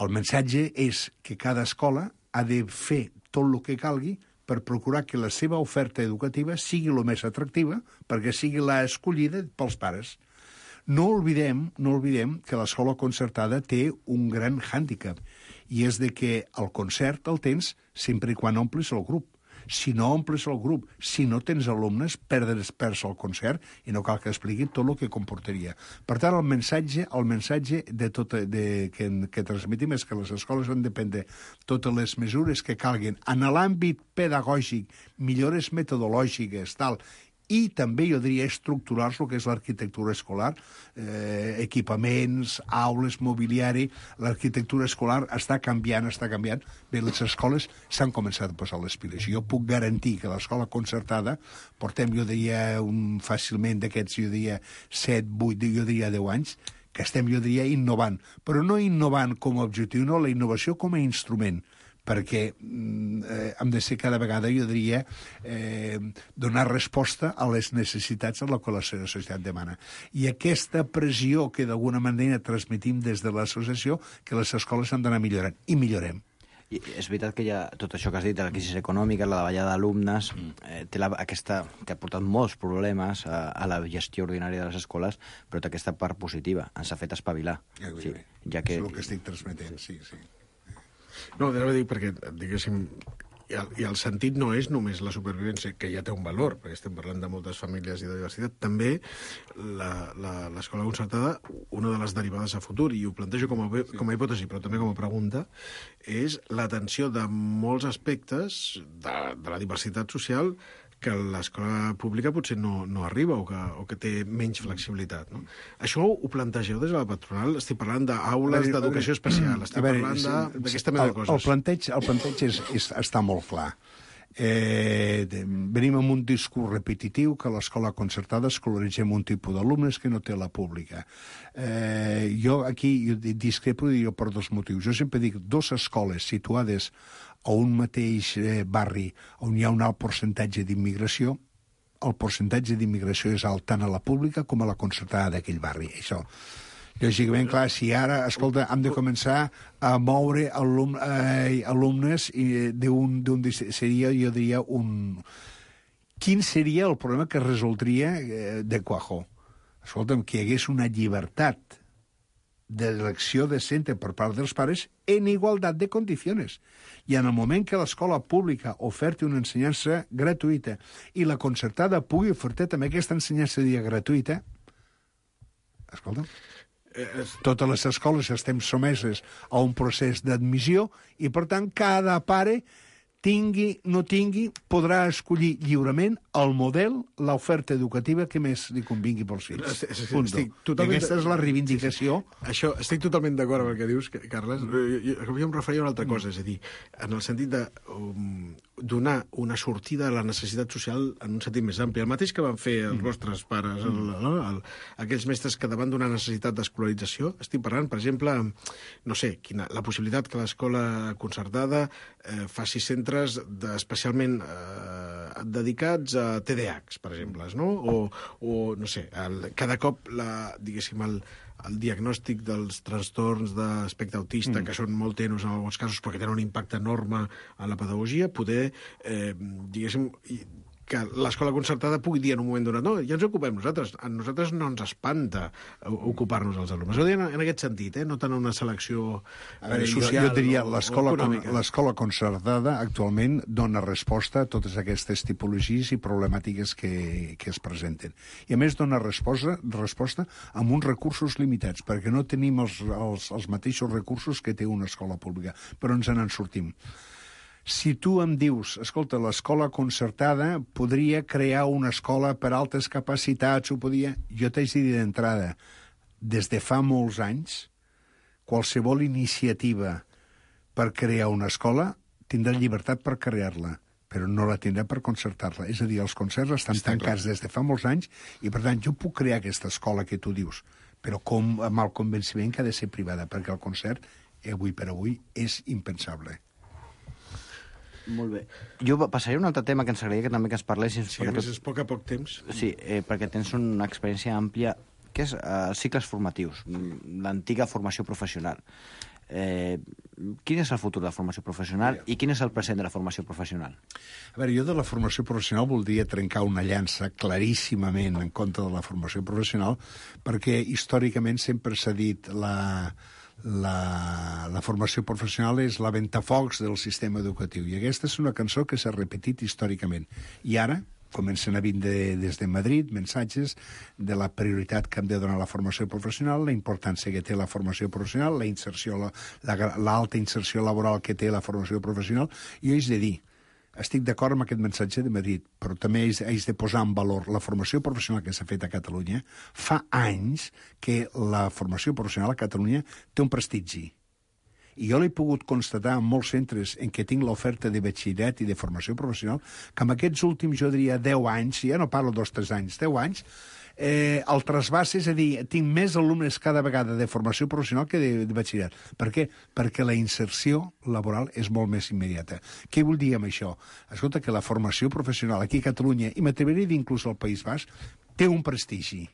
el missatge és que cada escola ha de fer tot el que calgui per procurar que la seva oferta educativa sigui el més atractiva perquè sigui la escollida pels pares. No oblidem, no oblidem que l'escola concertada té un gran hàndicap, i és de que el concert el tens sempre i quan omplis el grup. Si no omples el grup, si no tens alumnes, perdres perds el concert i no cal que expliqui tot el que comportaria. Per tant, el missatge, el missatge de tot, de, que, que transmetim és que les escoles han de prendre totes les mesures que calguin en l'àmbit pedagògic, millores metodològiques, tal, i també, jo diria, estructurals el que és l'arquitectura escolar, eh, equipaments, aules, mobiliari. L'arquitectura escolar està canviant, està canviant. Bé, les escoles s'han començat a posar les piles. Jo puc garantir que l'escola concertada, portem, jo diria, un, fàcilment d'aquests, jo diria, set, vuit, jo diria deu anys, que estem, jo diria, innovant. Però no innovant com a objectiu, no, la innovació com a instrument, perquè eh, hem de ser cada vegada, jo diria, eh, donar resposta a les necessitats a la que la societat demana. I aquesta pressió que d'alguna manera transmetim des de l'associació, que les escoles han d'anar millorant, i millorem. I és veritat que hi ha tot això que has dit, de la crisi econòmica, la davallada d'alumnes, eh, té la, aquesta, que ha portat molts problemes a, a la gestió ordinària de les escoles, però té aquesta part positiva, ens ha fet espavilar. Ja, sí, ja que... És el que estic transmetent, sí, sí. No, anava a dir perquè, diguéssim, i el, i el sentit no és només la supervivència, que ja té un valor, perquè estem parlant de moltes famílies i de diversitat, també l'escola concertada, una de les derivades a futur, i ho plantejo com a, com a hipòtesi, però també com a pregunta, és l'atenció de molts aspectes de, de la diversitat social que l'escola pública potser no, no arriba o que, o que té menys flexibilitat. No? Això ho plantegeu des de la patronal? Estic parlant d'aules d'educació especial, estic veure, parlant d'aquesta mena de coses. El planteig, el planteig és, és, està molt clar. Eh, de, venim amb un discurs repetitiu que l'escola concertada escolaritzem un tipus d'alumnes que no té la pública. Eh, jo aquí jo discrepo jo per dos motius. Jo sempre dic dos escoles situades a un mateix eh, barri on hi ha un alt percentatge d'immigració, el percentatge d'immigració és alt tant a la pública com a la concertada d'aquell barri. Això, lògicament, clar, si ara, escolta, hem de començar a moure alum, eh, alumnes d'un, seria, jo diria, un... Quin seria el problema que resoldria eh, de Cuajo? Escolta'm, que hi hagués una llibertat d'elecció de centre per part dels pares en igualtat de condicions. I en el moment que l'escola pública oferti una ensenyança gratuïta i la concertada pugui ofertar també aquesta ensenyança dia gratuïta, escolta, totes les escoles estem someses a un procés d'admissió i, per tant, cada pare tingui, no tingui, podrà escollir lliurement el model, l'oferta educativa que més li convingui pels fills. Estic totalment... Aquesta és la reivindicació. Sí, sí. Això, estic totalment d'acord amb el que dius, Carles. Jo, jo, jo em referia a una altra cosa, és a dir, en el sentit de um, donar una sortida a la necessitat social en un sentit més ampli. El mateix que van fer els vostres pares, el, el, el, aquells mestres que davant d'una necessitat d'escolarització, estic parlant, per exemple, no sé, quina, la possibilitat que l'escola concertada eh, faci centres especialment eh, dedicats a T D A Hs, per exemple, no? O, o no sé, el, cada cop, la, diguéssim, el, el diagnòstic dels trastorns d'espectre autista, mm. que són molt tenos en alguns casos, però que tenen un impacte enorme en la pedagogia, poder, eh, diguéssim, que l'escola concertada pugui dir en un moment donat no, ja ens ocupem nosaltres, a nosaltres no ens espanta ocupar-nos els alumnes. Ho diuen en aquest sentit, eh? No tant una selecció a veure, social jo, jo diria, o, l'escola, o econòmica. L'escola concertada actualment dona resposta a totes aquestes tipologies i problemàtiques que, que es presenten. I a més dona resposta, resposta amb uns recursos limitats, perquè no tenim els, els, els mateixos recursos que té una escola pública, però ens en sortim. Si tu em dius, escolta, l'escola concertada podria crear una escola per altes capacitats, ho podia... Jo t'haig de dir d'entrada, des de fa molts anys, qualsevol iniciativa per crear una escola tindrà llibertat per crear-la, però no la tindrà per concertar-la. És a dir, els concerts estan Està tancats clar. des de fa molts anys i, per tant, jo puc crear aquesta escola que tu dius, però com, amb el convenciment que ha de ser privada, perquè el concert, avui per avui, és impensable. Molt bé. Jo passaré a un altre tema que ens agradaria que també que ens parlessin. Sí, a més és poc a poc temps. Sí, eh, perquè tens una experiència àmplia, que és eh, cicles formatius, l'antiga formació professional. eh, quin és el futur de la formació professional i quin és el present de la formació professional? A veure, jo de la formació professional voldria trencar una llança claríssimament en contra de la formació professional, perquè històricament sempre s'ha dit la, la, la formació professional és la ventafocs del sistema educatiu, i aquesta és una cançó que s'ha repetit històricament. I ara comencen a vindre des de Madrid missatges de la prioritat que hem de donar a la formació professional, la importància que té la formació professional, la inserció, l'alta la, la inserció laboral que té la formació professional. I jo haig de dir, estic d'acord amb aquest missatge de Madrid, però també haig, haig de posar en valor la formació professional que s'ha fet a Catalunya. Fa anys que la formació professional a Catalunya té un prestigi. I jo l'he pogut constatar en molts centres en què tinc l'oferta de batxillerat i de formació professional, que en aquests últims, jo diria, deu anys, ja no parlo dos o tres anys, deu anys, eh, el trasbàs, és a dir, tinc més alumnes cada vegada de formació professional que de, de batxillerat. Per què? Perquè la inserció laboral és molt més immediata. Què vull dir amb això? Escolta, que la formació professional aquí a Catalunya, i m'atreveria a dir inclús al País Basc, té un prestigi.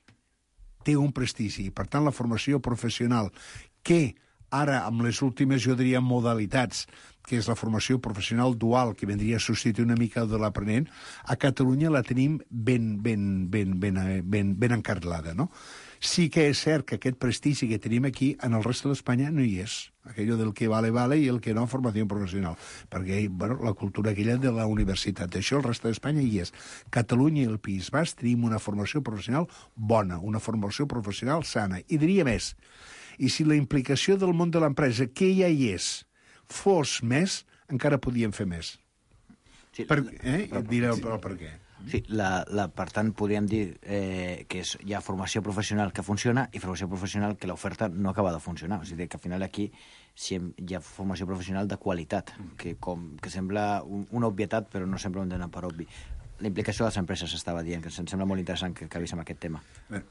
Té un prestigi. Per tant, la formació professional que ara, amb les últimes, jo diria, modalitats, que és la formació professional dual, que vendria a substituir una mica de l'aprenent, a Catalunya la tenim ben, ben, ben, ben, ben, ben encarrilada, no? Sí que és cert que aquest prestigi que tenim aquí, en el resto d'Espanya, no hi és. Aquello del que vale, vale, i el que no, formació professional. Perquè, bueno, la cultura aquella de la universitat, això el resto d'Espanya hi és. Catalunya i el País Basc tenim una formació professional bona, una formació professional sana. I diria més, i si la implicació del món de l'empresa, que ja hi és, fos més, encara podíem fer més. Sí, per, eh? Però, direu, però per què? Sí, la, la, per tant, podríem dir eh, que és, hi ha formació professional que funciona i formació professional que l'oferta no acaba de funcionar. O sigui, que al final aquí si hi ha formació professional de qualitat, que, com, que sembla un, una obvietat, però no sempre ho hem d'anar per obvi. La implicació de les empreses estava dient, que em sembla molt interessant que acabéssim aquest tema. Bé,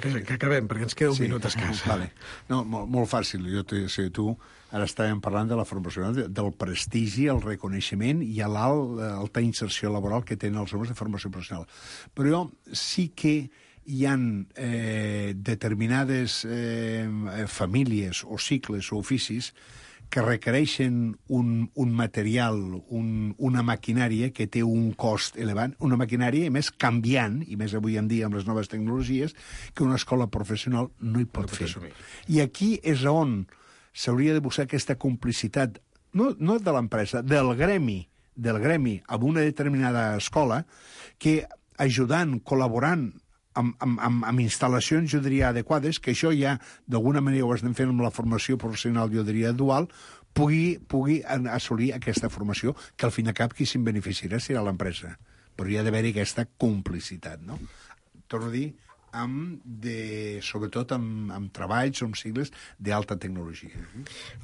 que, que acabem, perquè ens queda un sí. minut escàs. Vale. No, molt, molt fàcil. Jo te, sé, tu, ara estàvem parlant de la formació, del prestigi, el reconeixement i l'alta inserció laboral que tenen els homes de formació professional. Però sí que hi ha eh, determinades eh, famílies o cicles o oficis que requereixen un, un material, un, una maquinària que té un cost elevat, una maquinària, més, canviant, i més avui en dia amb les noves tecnologies, que una escola professional no hi pot no fer. Assumir. I aquí és on s'hauria de buscar aquesta complicitat, no, no de l'empresa, del gremi, del gremi, amb una determinada escola, que ajudant, col·laborant, Amb, amb, amb, amb instal·lacions, jo diria, adequades, que això ja, d'alguna manera, ho estem fent amb la formació professional, jo diria, dual, pugui, pugui assolir aquesta formació, que al fin i al cap qui se'n beneficiarà serà l'empresa. Però hi ha d'haver-hi aquesta complicitat, no? Torno a dir, amb de, sobretot amb, amb treballs o amb cicles d'alta tecnologia.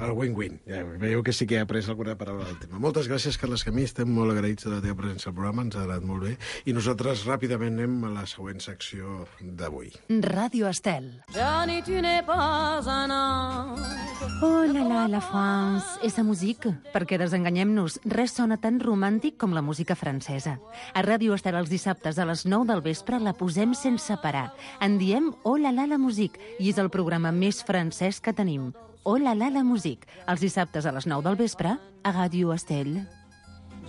El win-win. Ja veieu que sí que he après alguna paraula del tema. Moltes gràcies, Carles Camí. Estem molt agraïts de la teva presència al programa. Ens ha agradat molt bé. I nosaltres ràpidament anem a la següent secció d'avui. Ràdio Estel. Johnny, tu n'es pas un ange. Oh la la, la France. Esa música. Perquè desenganyem-nos, res sona tan romàntic com la música francesa. A Ràdio Estel els dissabtes a les nou del vespre la posem sense parar. En diem Oh la la la musique i és el programa més francès que tenim. Oh la la la musique, els dissabtes a les nou del vespre a Ràdio Estel.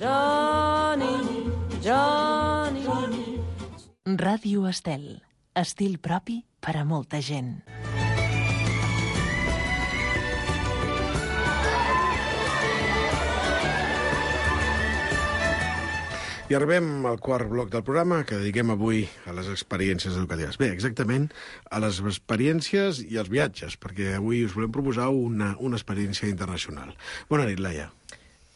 Johnny, Johnny. Ràdio Estel. Estil propi per a molta gent. I arribem al quart bloc del programa que dediquem avui a les experiències educatives. Bé, exactament, a les experiències i als viatges, perquè avui us volem proposar una, una experiència internacional. Bona nit, Laia.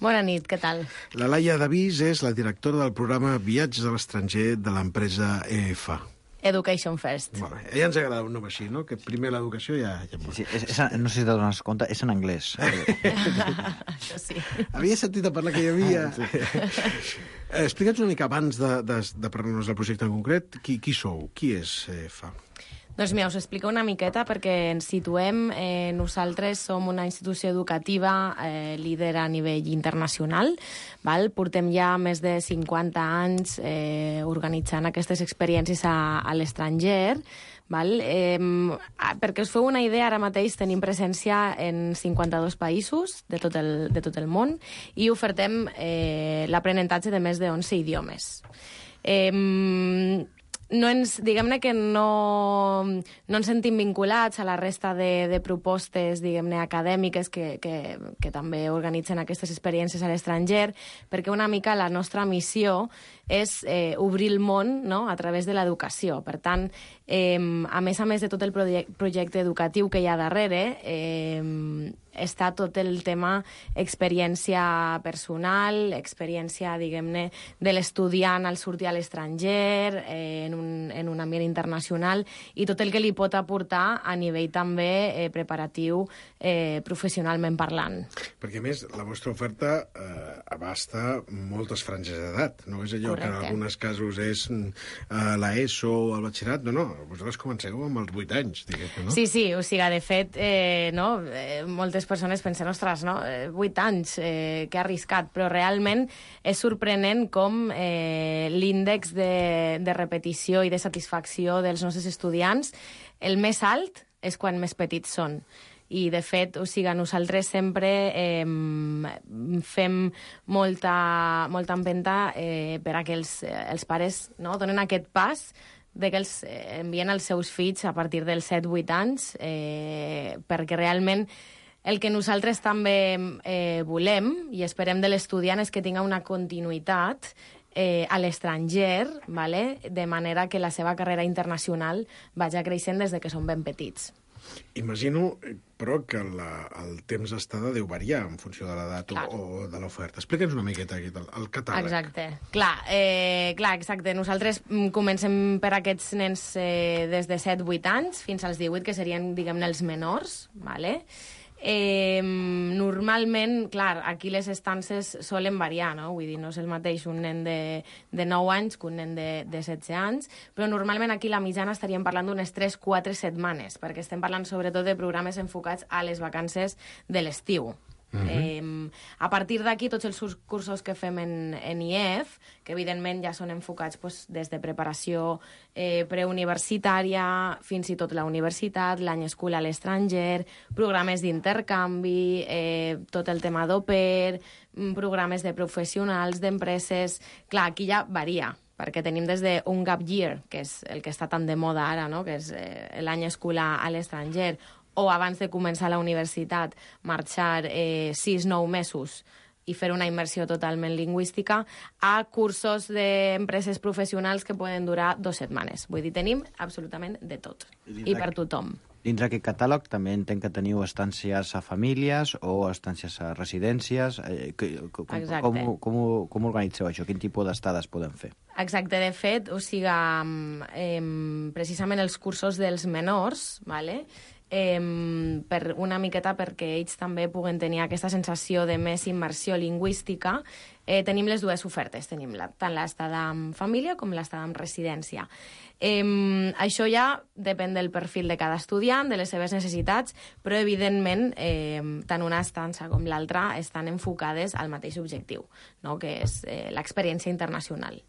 Bona nit, què tal? La Laia Davís és la directora del programa Viatges a l'estranger de l'empresa E F A. Education First. Molt bé. A ella ens agrada un nom així, no? Que primer l'educació ja... ja sí, és, és, no sé si t'adones compte, és en anglès. Això sí. Havia sentit a parlar que hi havia... Sí. Eh, explica'ns una mica abans de, de, de parlar-nos del projecte en concret. Qui, qui sou? Qui és E F A? Doncs mira, us explico una miqueta perquè ens situem. Eh, nosaltres som una institució educativa eh, líder a nivell internacional. Val? Portem ja més de cinquanta anys eh, organitzant aquestes experiències a, a l'estranger. Val? Eh, perquè us feu una idea, ara mateix tenim presència en cinquanta-dos països de tot el, de tot el món i ofertem eh, l'aprenentatge de més de onze idiomes. Eh, no ens, diguem-ne que no, no ens sentim vinculats a la resta de, de propostes, diguem-ne, acadèmiques que, que, que també organitzen aquestes experiències a l'estranger, perquè una mica la nostra missió és eh, obrir el món, no?, a través de l'educació. Per tant, eh, a més a més de tot el projecte, projecte educatiu que hi ha darrere, eh, està tot el tema experiència personal, experiència, diguem-ne, de l'estudiant al sortir a l'estranger, eh, en, un, en un ambient internacional, i tot el que li pot aportar a nivell també eh, preparatiu, eh, professionalment parlant. Perquè, a més, la vostra oferta eh, abasta moltes franges d'edat. No és allò Correcte. Que en alguns casos és eh, l'ESO o el batxillerat. No, no, vosaltres comenceu amb els vuit anys, diguem-ne, no? Sí, sí, o sigui, de fet, eh, no, eh, moltes persones pensen, ostres, no, vuit anys, eh, que arriscat, però realment és sorprenent com eh, l'índex de, de repetició i de satisfacció dels nostres estudiants, el més alt és quan més petits són. I, de fet, o sigui, nosaltres sempre eh, fem molta, molta empenta eh, per a que els, els pares, no, donen aquest pas de que els envien els seus fills a partir dels set vuit anys, eh, perquè realment el que nosaltres també eh, volem i esperem de l'estudiant és que tinga una continuïtat eh, a l'estranger, vale? De manera que la seva carrera internacional vagi creixent des de que són ben petits. Imagino, però, que la, el temps d'estada deu variar en funció de l'edat o, o de l'oferta. Explica'ns una miqueta aquí, el, el catàleg. Exacte. Clar, eh, clar, exacte. Nosaltres comencem per aquests nens eh, des de set vuit anys fins als divuit, que serien, diguem-ne, els menors, vale? Eh, normalment, clar, aquí les estances solen variar, no? Vull dir, no és el mateix un nen de, de nou anys que un nen de, de setze anys, però normalment aquí la mitjana estaríem parlant d'unes tres quatre setmanes, perquè estem parlant sobretot de programes enfocats a les vacances de l'estiu. Uh-huh. eh, a partir d'aquí, tots els cursos que fem en, en I E F, que evidentment ja són enfocats pues, des de preparació eh, preuniversitària fins i tot la universitat, l'any escolar a l'estranger, programes d'intercanvi, eh, tot el tema d'au pair, programes de professionals, d'empreses. Clar, aquí ja varia, perquè tenim des d'un gap year, que és el que està tan de moda ara, no? Que és eh, l'any escolar a l'estranger, o abans de començar la universitat, marxar eh, sis nou mesos i fer una immersió totalment lingüística, a cursos d'empreses professionals que poden durar dues setmanes. Vull dir, tenim absolutament de tot, i per tothom. Dins d'aquest catàleg també entenc que teniu estàncies a famílies o estàncies a residències. Eh, com, com, com, com organitzeu això? Quin tipus d'estades poden fer? Exacte, de fet, o sigui, eh, precisament els cursos dels menors, vale? Eh, per una miqueta perquè ells també puguen tenir aquesta sensació de més immersió lingüística, eh, tenim les dues ofertes. Tenim la, tant l'estada en família com l'estada en residència. Eh, això ja depèn del perfil de cada estudiant, de les seves necessitats, però evidentment eh, tant una estança com l'altra estan enfocades al mateix objectiu, no? Que és eh, l'experiència internacional.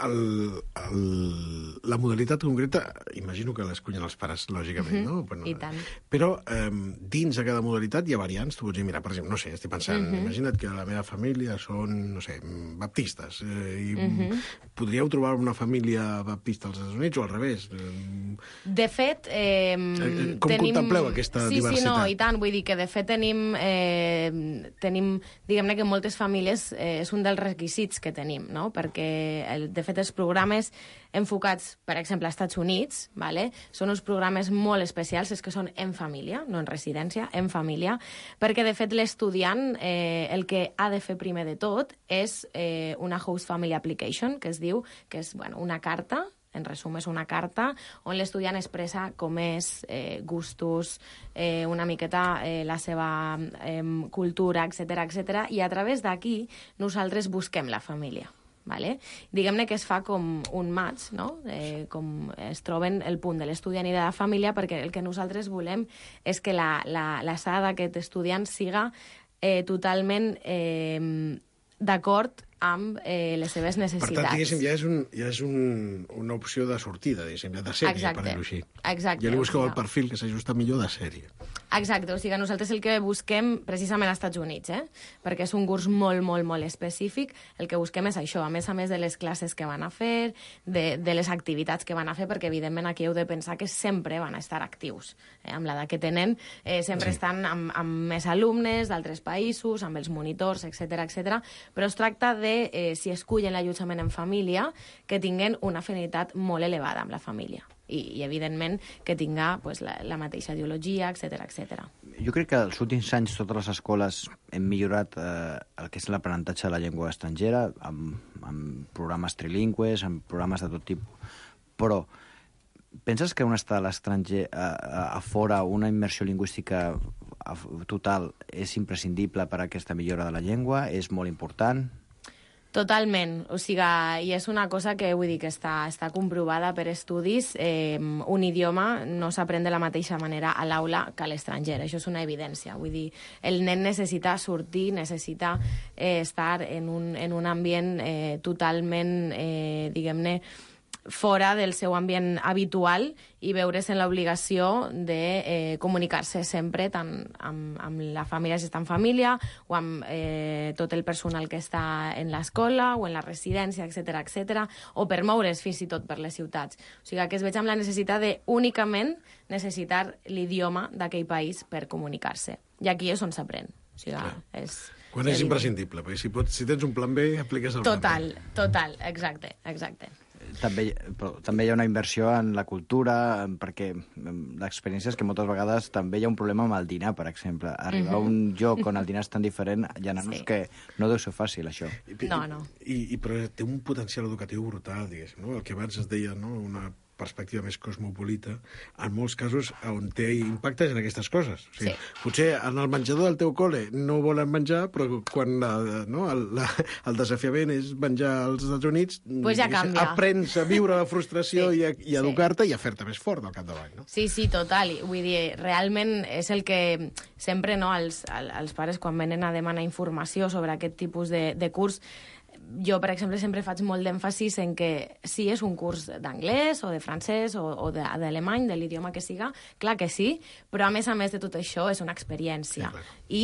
El, el, la modalitat concreta, imagino que l'escullen els pares, lògicament, uh-huh. no? Però, I tant. Però eh, dins de cada modalitat hi ha variants. Tu pots dir, mira, per exemple, no sé, estic pensant, uh-huh. imagina't que la meva família són, no sé, baptistes, eh, i uh-huh. podríeu trobar una família baptista als Estats Units o al revés? De fet, eh, com tenim... contempleu aquesta sí, diversitat? Sí, no, i tant, vull dir que de fet tenim, eh, tenim diguem-ne que moltes famílies eh, és un dels requisits que tenim, no? Perquè de fet, els programes enfocats, per exemple, als Estats Units, vale? Són uns programes molt especials, és que són en família, no en residència, en família, perquè, de fet, l'estudiant eh, el que ha de fer primer de tot és eh, una Host Family Application, que es diu, que és bueno, una carta, en resum, és una carta on l'estudiant expressa com és, eh, gustos, eh, una miqueta eh, la seva eh, cultura, etcètera, etcètera, i a través d'aquí nosaltres busquem la família. Vale? Diguem-ne que es fa com un match, no? Eh, com es troben el punt de l'estudiant i de la família, perquè el que nosaltres volem és que la, la, l'estada d'aquest estudiant siga eh, totalment eh, d'acord amb eh, les seves necessitats. Per tant, diguéssim, ja és, un, ja és un, una opció de sortida, diguéssim, ja de sèrie, Exacte. per dir-ho així. Exacte. Ja li busqueu o sigui, el perfil que s'ajusta millor de sèrie. Exacte, o sigui, nosaltres el que busquem precisament als Estats Units, eh? perquè és un curs molt, molt, molt específic, el que busquem és això, a més a més de les classes que van a fer, de, de les activitats que van a fer, perquè evidentment aquí heu de pensar que sempre van a estar actius. Eh? Amb l'edat que tenen, eh, sempre sí. estan amb, amb més alumnes d'altres països, amb els monitors, etcètera, etcètera. Però es tracta de, eh, si escullen l'allotjament en família, que tinguin una afinitat molt elevada amb la família. I, i evidentment, que tinga pues, la, la mateixa ideologia, etcètera, etcètera. Jo crec que els últims anys totes les escoles hem millorat eh, el que és l'aprenentatge de la llengua estrangera, amb, amb programes trilingües, amb programes de tot tipus. Però penses que un estar a l'estranger, a, a, a fora, una immersió lingüística total és imprescindible per a aquesta millora de la llengua? És molt important? Totalment, o sigui, i és una cosa que vull dir que està, està comprovada per estudis. Eh, un idioma no s'aprèn de la mateixa manera a l'aula que a l'estranger, això és una evidència. Vull dir, el nen necessita sortir, necessita eh, estar en un, en un ambient eh, totalment, eh, diguem-ne, fora del seu ambient habitual i veure's en l'obligació de eh, comunicar-se sempre tant amb, amb la família, si està en família, o amb eh, tot el personal que està en l'escola o en la residència, etcètera, etcètera, o per moure's fins i tot per les ciutats. O sigui, que es veig amb la necessitat de únicament necessitar l'idioma d'aquell país per comunicar-se. I aquí és on s'aprèn. O sigui, és... Quan és imprescindible, perquè si, pots, si tens un plan B, apliques el total, plan B. Total, exacte, exacte. També, però, també hi ha una inversió en la cultura, perquè l'experiència és que moltes vegades també hi ha un problema amb el dinar, per exemple. Arribar uh -huh. a un lloc on el dinar és tan diferent, hi ha nanos sí. que no deu ser fàcil, això. I, no, no. I, i, però té un potencial educatiu brutal, diguéssim, no? El que abans es deia, no?, una perspectiva més cosmopolita, en molts casos on té impactes en aquestes coses. O sigui, sí. Potser en el menjador del teu col·le no volen menjar, però quan la, no, el, la, el desafiament és menjar als Estats Units, pues ja canvia. Aprens a viure la frustració sí. i a, i a educar-te sí. i a fer-te més fort al capdavant. No? Sí, sí, total. Vull dir, realment és el que sempre no, els, els pares quan venen a demanar informació sobre aquest tipus de, de curs, jo, per exemple, sempre faig molt d'èmfasis en que si és un curs d'anglès o de francès o, o d'alemany, de, de l'idioma que siga, clar que sí, però a més a més de tot això és una experiència. Sí, i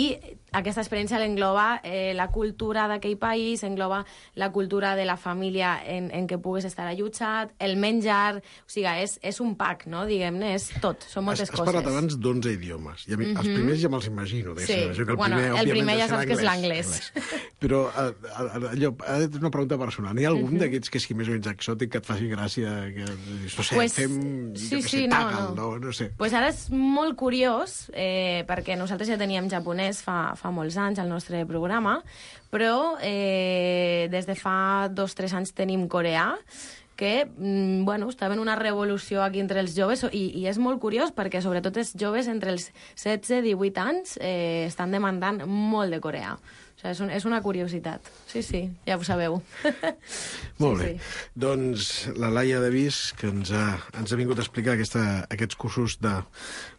aquesta experiència l'engloba eh, la cultura d'aquell país, engloba la cultura de la família en, en què puguis estar allotjat, el menjar, o sigui, és, és un pack, no? Diguem-ne, és tot, són moltes has, coses. Has parlat abans d'onze idiomes, i a mi, mm -hmm. els primers ja me'ls imagino. Sí, el primer, bueno, el primer ja saps que és l'anglès. Però allò, és una pregunta personal. N'hi ha algun uh -huh. d'aquests que sigui més o menys exòtic que et faci gràcia? Que, no sé, pues, fem... Sí, jo sí, sé, no, tagal, no. no, no sé. Pues ara és molt curiós, eh, perquè nosaltres ja teníem japonès fa, fa molts anys al nostre programa, però eh, des de fa dos o tres anys tenim coreà, que, bueno, estava en una revolució aquí entre els joves, i, i és molt curiós perquè sobretot els joves entre els setze i divuit anys eh, estan demandant molt de coreà. O sigui, és, un, és una curiositat. Sí, sí, ja ho sabeu. Molt sí, bé. Sí. Doncs la Laia Davís, que ens ha, ens ha vingut a explicar aquesta, aquests cursos de,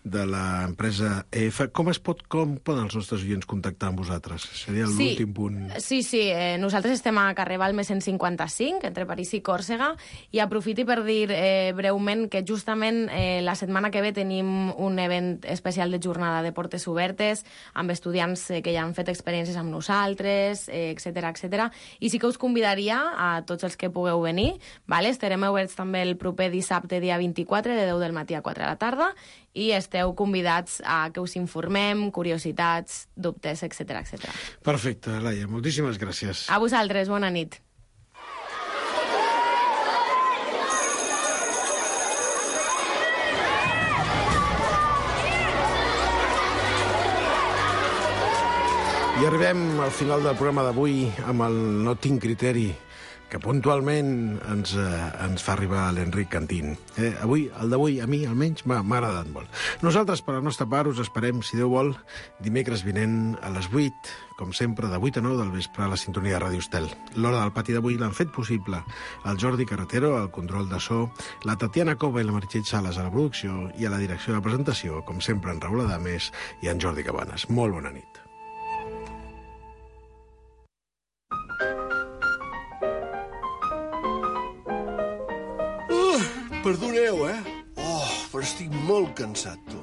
de l'empresa E F. Com es pot, com poden els nostres oients contactar amb vosaltres? Seria l'últim sí. punt. Sí, sí. Eh, nosaltres estem a carrer Balmes cent cinquanta-cinc, entre París i Còrsega, i aprofiti per dir eh, breument que justament eh, la setmana que ve tenim un event especial de jornada de portes obertes amb estudiants eh, que ja han fet experiències amb nosaltres, eh, etcètera, etcètera. I sí que us convidaria a tots els que pugueu venir. Vale? Estarem oberts també el proper dissabte, dia vint-i-quatre, de deu del matí a quatre de la tarda, i esteu convidats a que us informem, curiositats, dubtes, etcètera, etcètera. Perfecte, Laia. Moltíssimes gràcies. A vosaltres, bona nit. I arribem al final del programa d'avui amb el No tinc criteri, que puntualment ens, eh, ens fa arribar l'Enric Cantín. Eh, avui, el d'avui, a mi almenys, m'ha agradat molt. Nosaltres, per la nostra part, us esperem, si Déu vol, dimecres vinent a les vuit, com sempre, de vuit a nou del vespre a la sintonia de Ràdio Estel. L'hora del pati d'avui l'han fet possible el Jordi Carretero, al control de so, la Tatiana Cova i la Meritxell Sales a la producció, i a la direcció de presentació, com sempre, en Raül Adames i en Jordi Cabanes. Molt bona nit. Perdoneu, eh? Oh, però estic molt cansat, tu.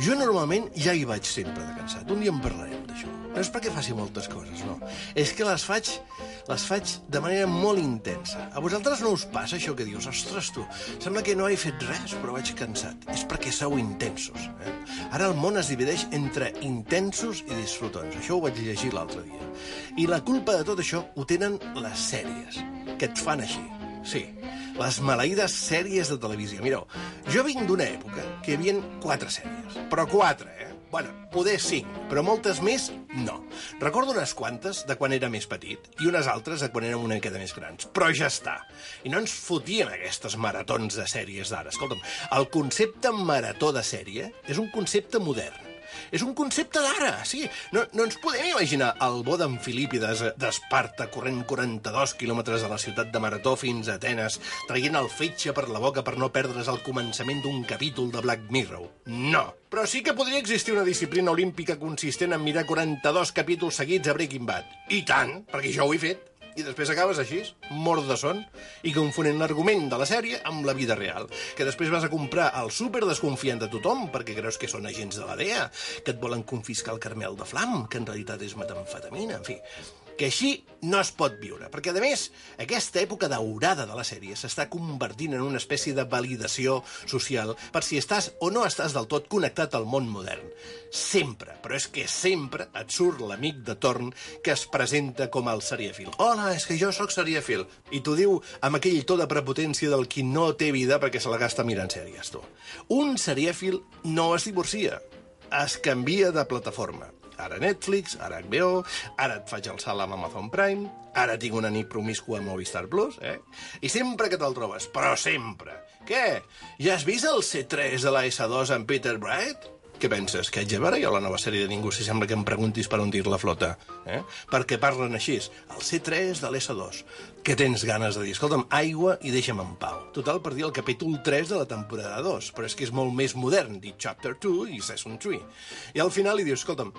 Jo normalment ja hi vaig sempre de cansat. Un dia en parlarem d'això. No és perquè faci moltes coses, no. És que les faig, les faig de manera molt intensa. A vosaltres no us passa això que dius? Ostres, tu, sembla que no he fet res, però vaig cansat. És perquè sou intensos. Eh? Ara el món es divideix entre intensos i disfrutons. Això ho vaig llegir l'altre dia. I la culpa de tot això ho tenen les sèries, que et fan així. Sí, les maleïdes sèries de televisió. Mireu, jo vinc d'una època que hi havia quatre sèries, però quatre, eh? Bueno, poder cinc, però moltes més, no. Recordo unes quantes de quan era més petit i unes altres de quan érem una miqueta més grans, però ja està. I no ens fotien aquestes maratons de sèries d'ara. Escolta'm, el concepte marató de sèrie és un concepte modern. És un concepte d'ara, sí. No, no ens podem imaginar el bo d'en Filípides d'Esparta corrent quaranta-dos quilòmetres de la ciutat de Marató fins a Atenes, traient el fetge per la boca per no perdre's el començament d'un capítol de Black Mirror. No. Però sí que podria existir una disciplina olímpica consistent en mirar quaranta-dos capítols seguits a Breaking Bad. I tant, perquè jo ho he fet. I després acabes així, mort de son, i confonent l'argument de la sèrie amb la vida real, que després vas a comprar al súper desconfiant de tothom perquè creus que són agents de la D E A, que et volen confiscar el caramel de flam, que en realitat és metamfetamina, en fi, que així no es pot viure, perquè, a més, aquesta època daurada de la sèrie s'està convertint en una espècie de validació social per si estàs o no estàs del tot connectat al món modern. Sempre, però és que sempre et surt l'amic de torn que es presenta com el serièfil. Hola, és que jo sóc serièfil. I t'ho diu amb aquell to de prepotència del qui no té vida perquè se la gasta mirant sèries, tu. Un serièfil no es divorcia, es canvia de plataforma. Ara Netflix, ara H B O, ara et faig el salt amb Amazon Prime, ara tinc una nit promiscua a Movistar Plus, eh? I sempre que te'l trobes, però sempre. Què? Ja has vist el C tres de la S dos amb Peter Bright? Què penses, que haig de veure jo la nova sèrie de Ningú si sembla que em preguntis per on dir la flota? Eh? Perquè parlen així, el C tres de l'S dos. Que tens ganes de dir, escolta'm, aigua i deixa'm en pau. Total, per dir el capítol tres de la temporada dos, però és que és molt més modern, dir Chapter two i Season three. I al final li dius, escolta'm,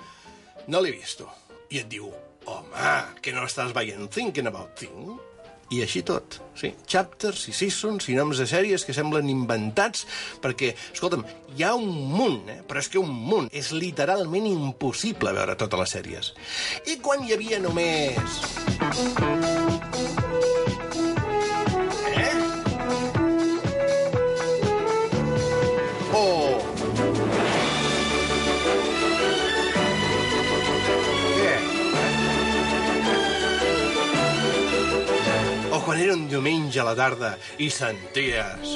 no l'he vist. I et diu, home, que no estàs veient Thinking About Things? I així tot, sí. Chapters i seasons i noms de sèries que semblen inventats perquè, escolta'm, hi ha un munt, eh? Però és que un munt. És literalment impossible veure totes les sèries. I quan hi havia només... Eh? Oh! Quan era un diumenge a la tarda i senties...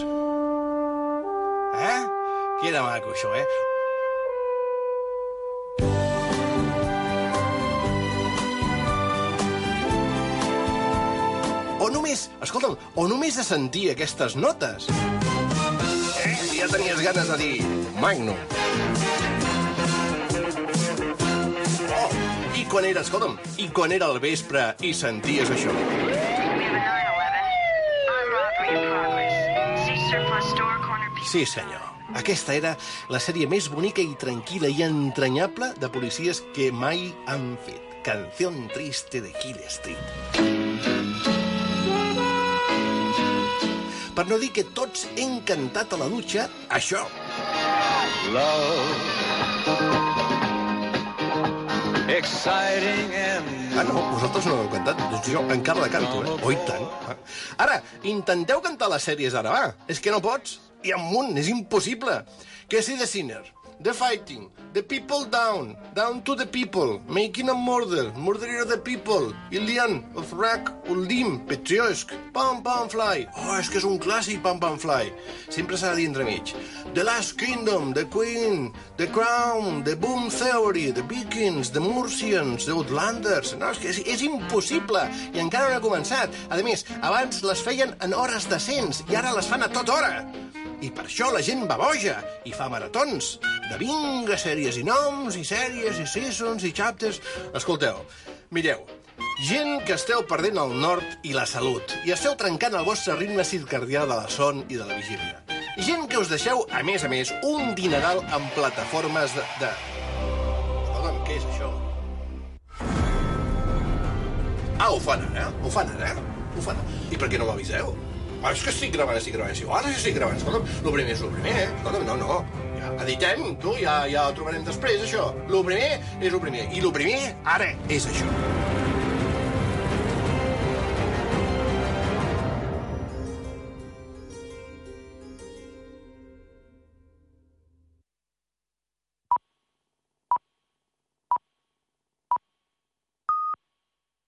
Eh? Que era maco, això, eh? O només, escolta'm, o només de sentir aquestes notes. Eh? Si ja tenies ganes de dir Magnum. Oh, i quan era, escolta'm, i quan era al vespre i senties això. Sí, senyor. Aquesta era la sèrie més bonica i tranquil·la i entranyable de policies que mai han fet. Canción triste de Hill Street. Per no dir que tots hem cantat a la dutxa això. Love. Exciting and... Ah, no, vosaltres no heu cantat. Doncs jo encara la canto, eh? Oh, i tant. Ara, intenteu cantar les sèries ara, va. És que no pots. Hi ha un munt, és impossible. Què si The Sinner, The Fighting, The People Down, Down to the People, Making a Murder, Murderer of the People, Ilian, of Rack, Uldim, Petriosk, Pam Pam Fly. Oh, és que és un clàssic, Pam Pam Fly. Sempre s'ha de dir entremig. The Last Kingdom, The Queen, The Crown, The Boom Theory, The Vikings, The Murcians, The Outlanders... No, és que és, és impossible, i encara no ha començat. A més, abans les feien en hores decents, i ara les fan a tota hora. I per això la gent va boja i fa maratons de vinga sèries i noms, i sèries, i seasons, i chapters... Escolteu, mireu, gent que esteu perdent el nord i la salut, i esteu trencant el vostre ritme circadià de la son i de la vigília. Gent que us deixeu, a més a més, un dineral en plataformes de... de... Escolta'm, què és això? Ah, ho fan ara, ho fan ara, ho fan ara. I per què no m'aviseu? Ah, és que estic gravant, estic gravant. Sí, ara estic gravant. Escolta'm, el primer és el primer, eh? Escolta'm, no, no. Ja editem, tu, ja, ja ho trobarem després, això. El primer és el primer. I el primer, ara, és això.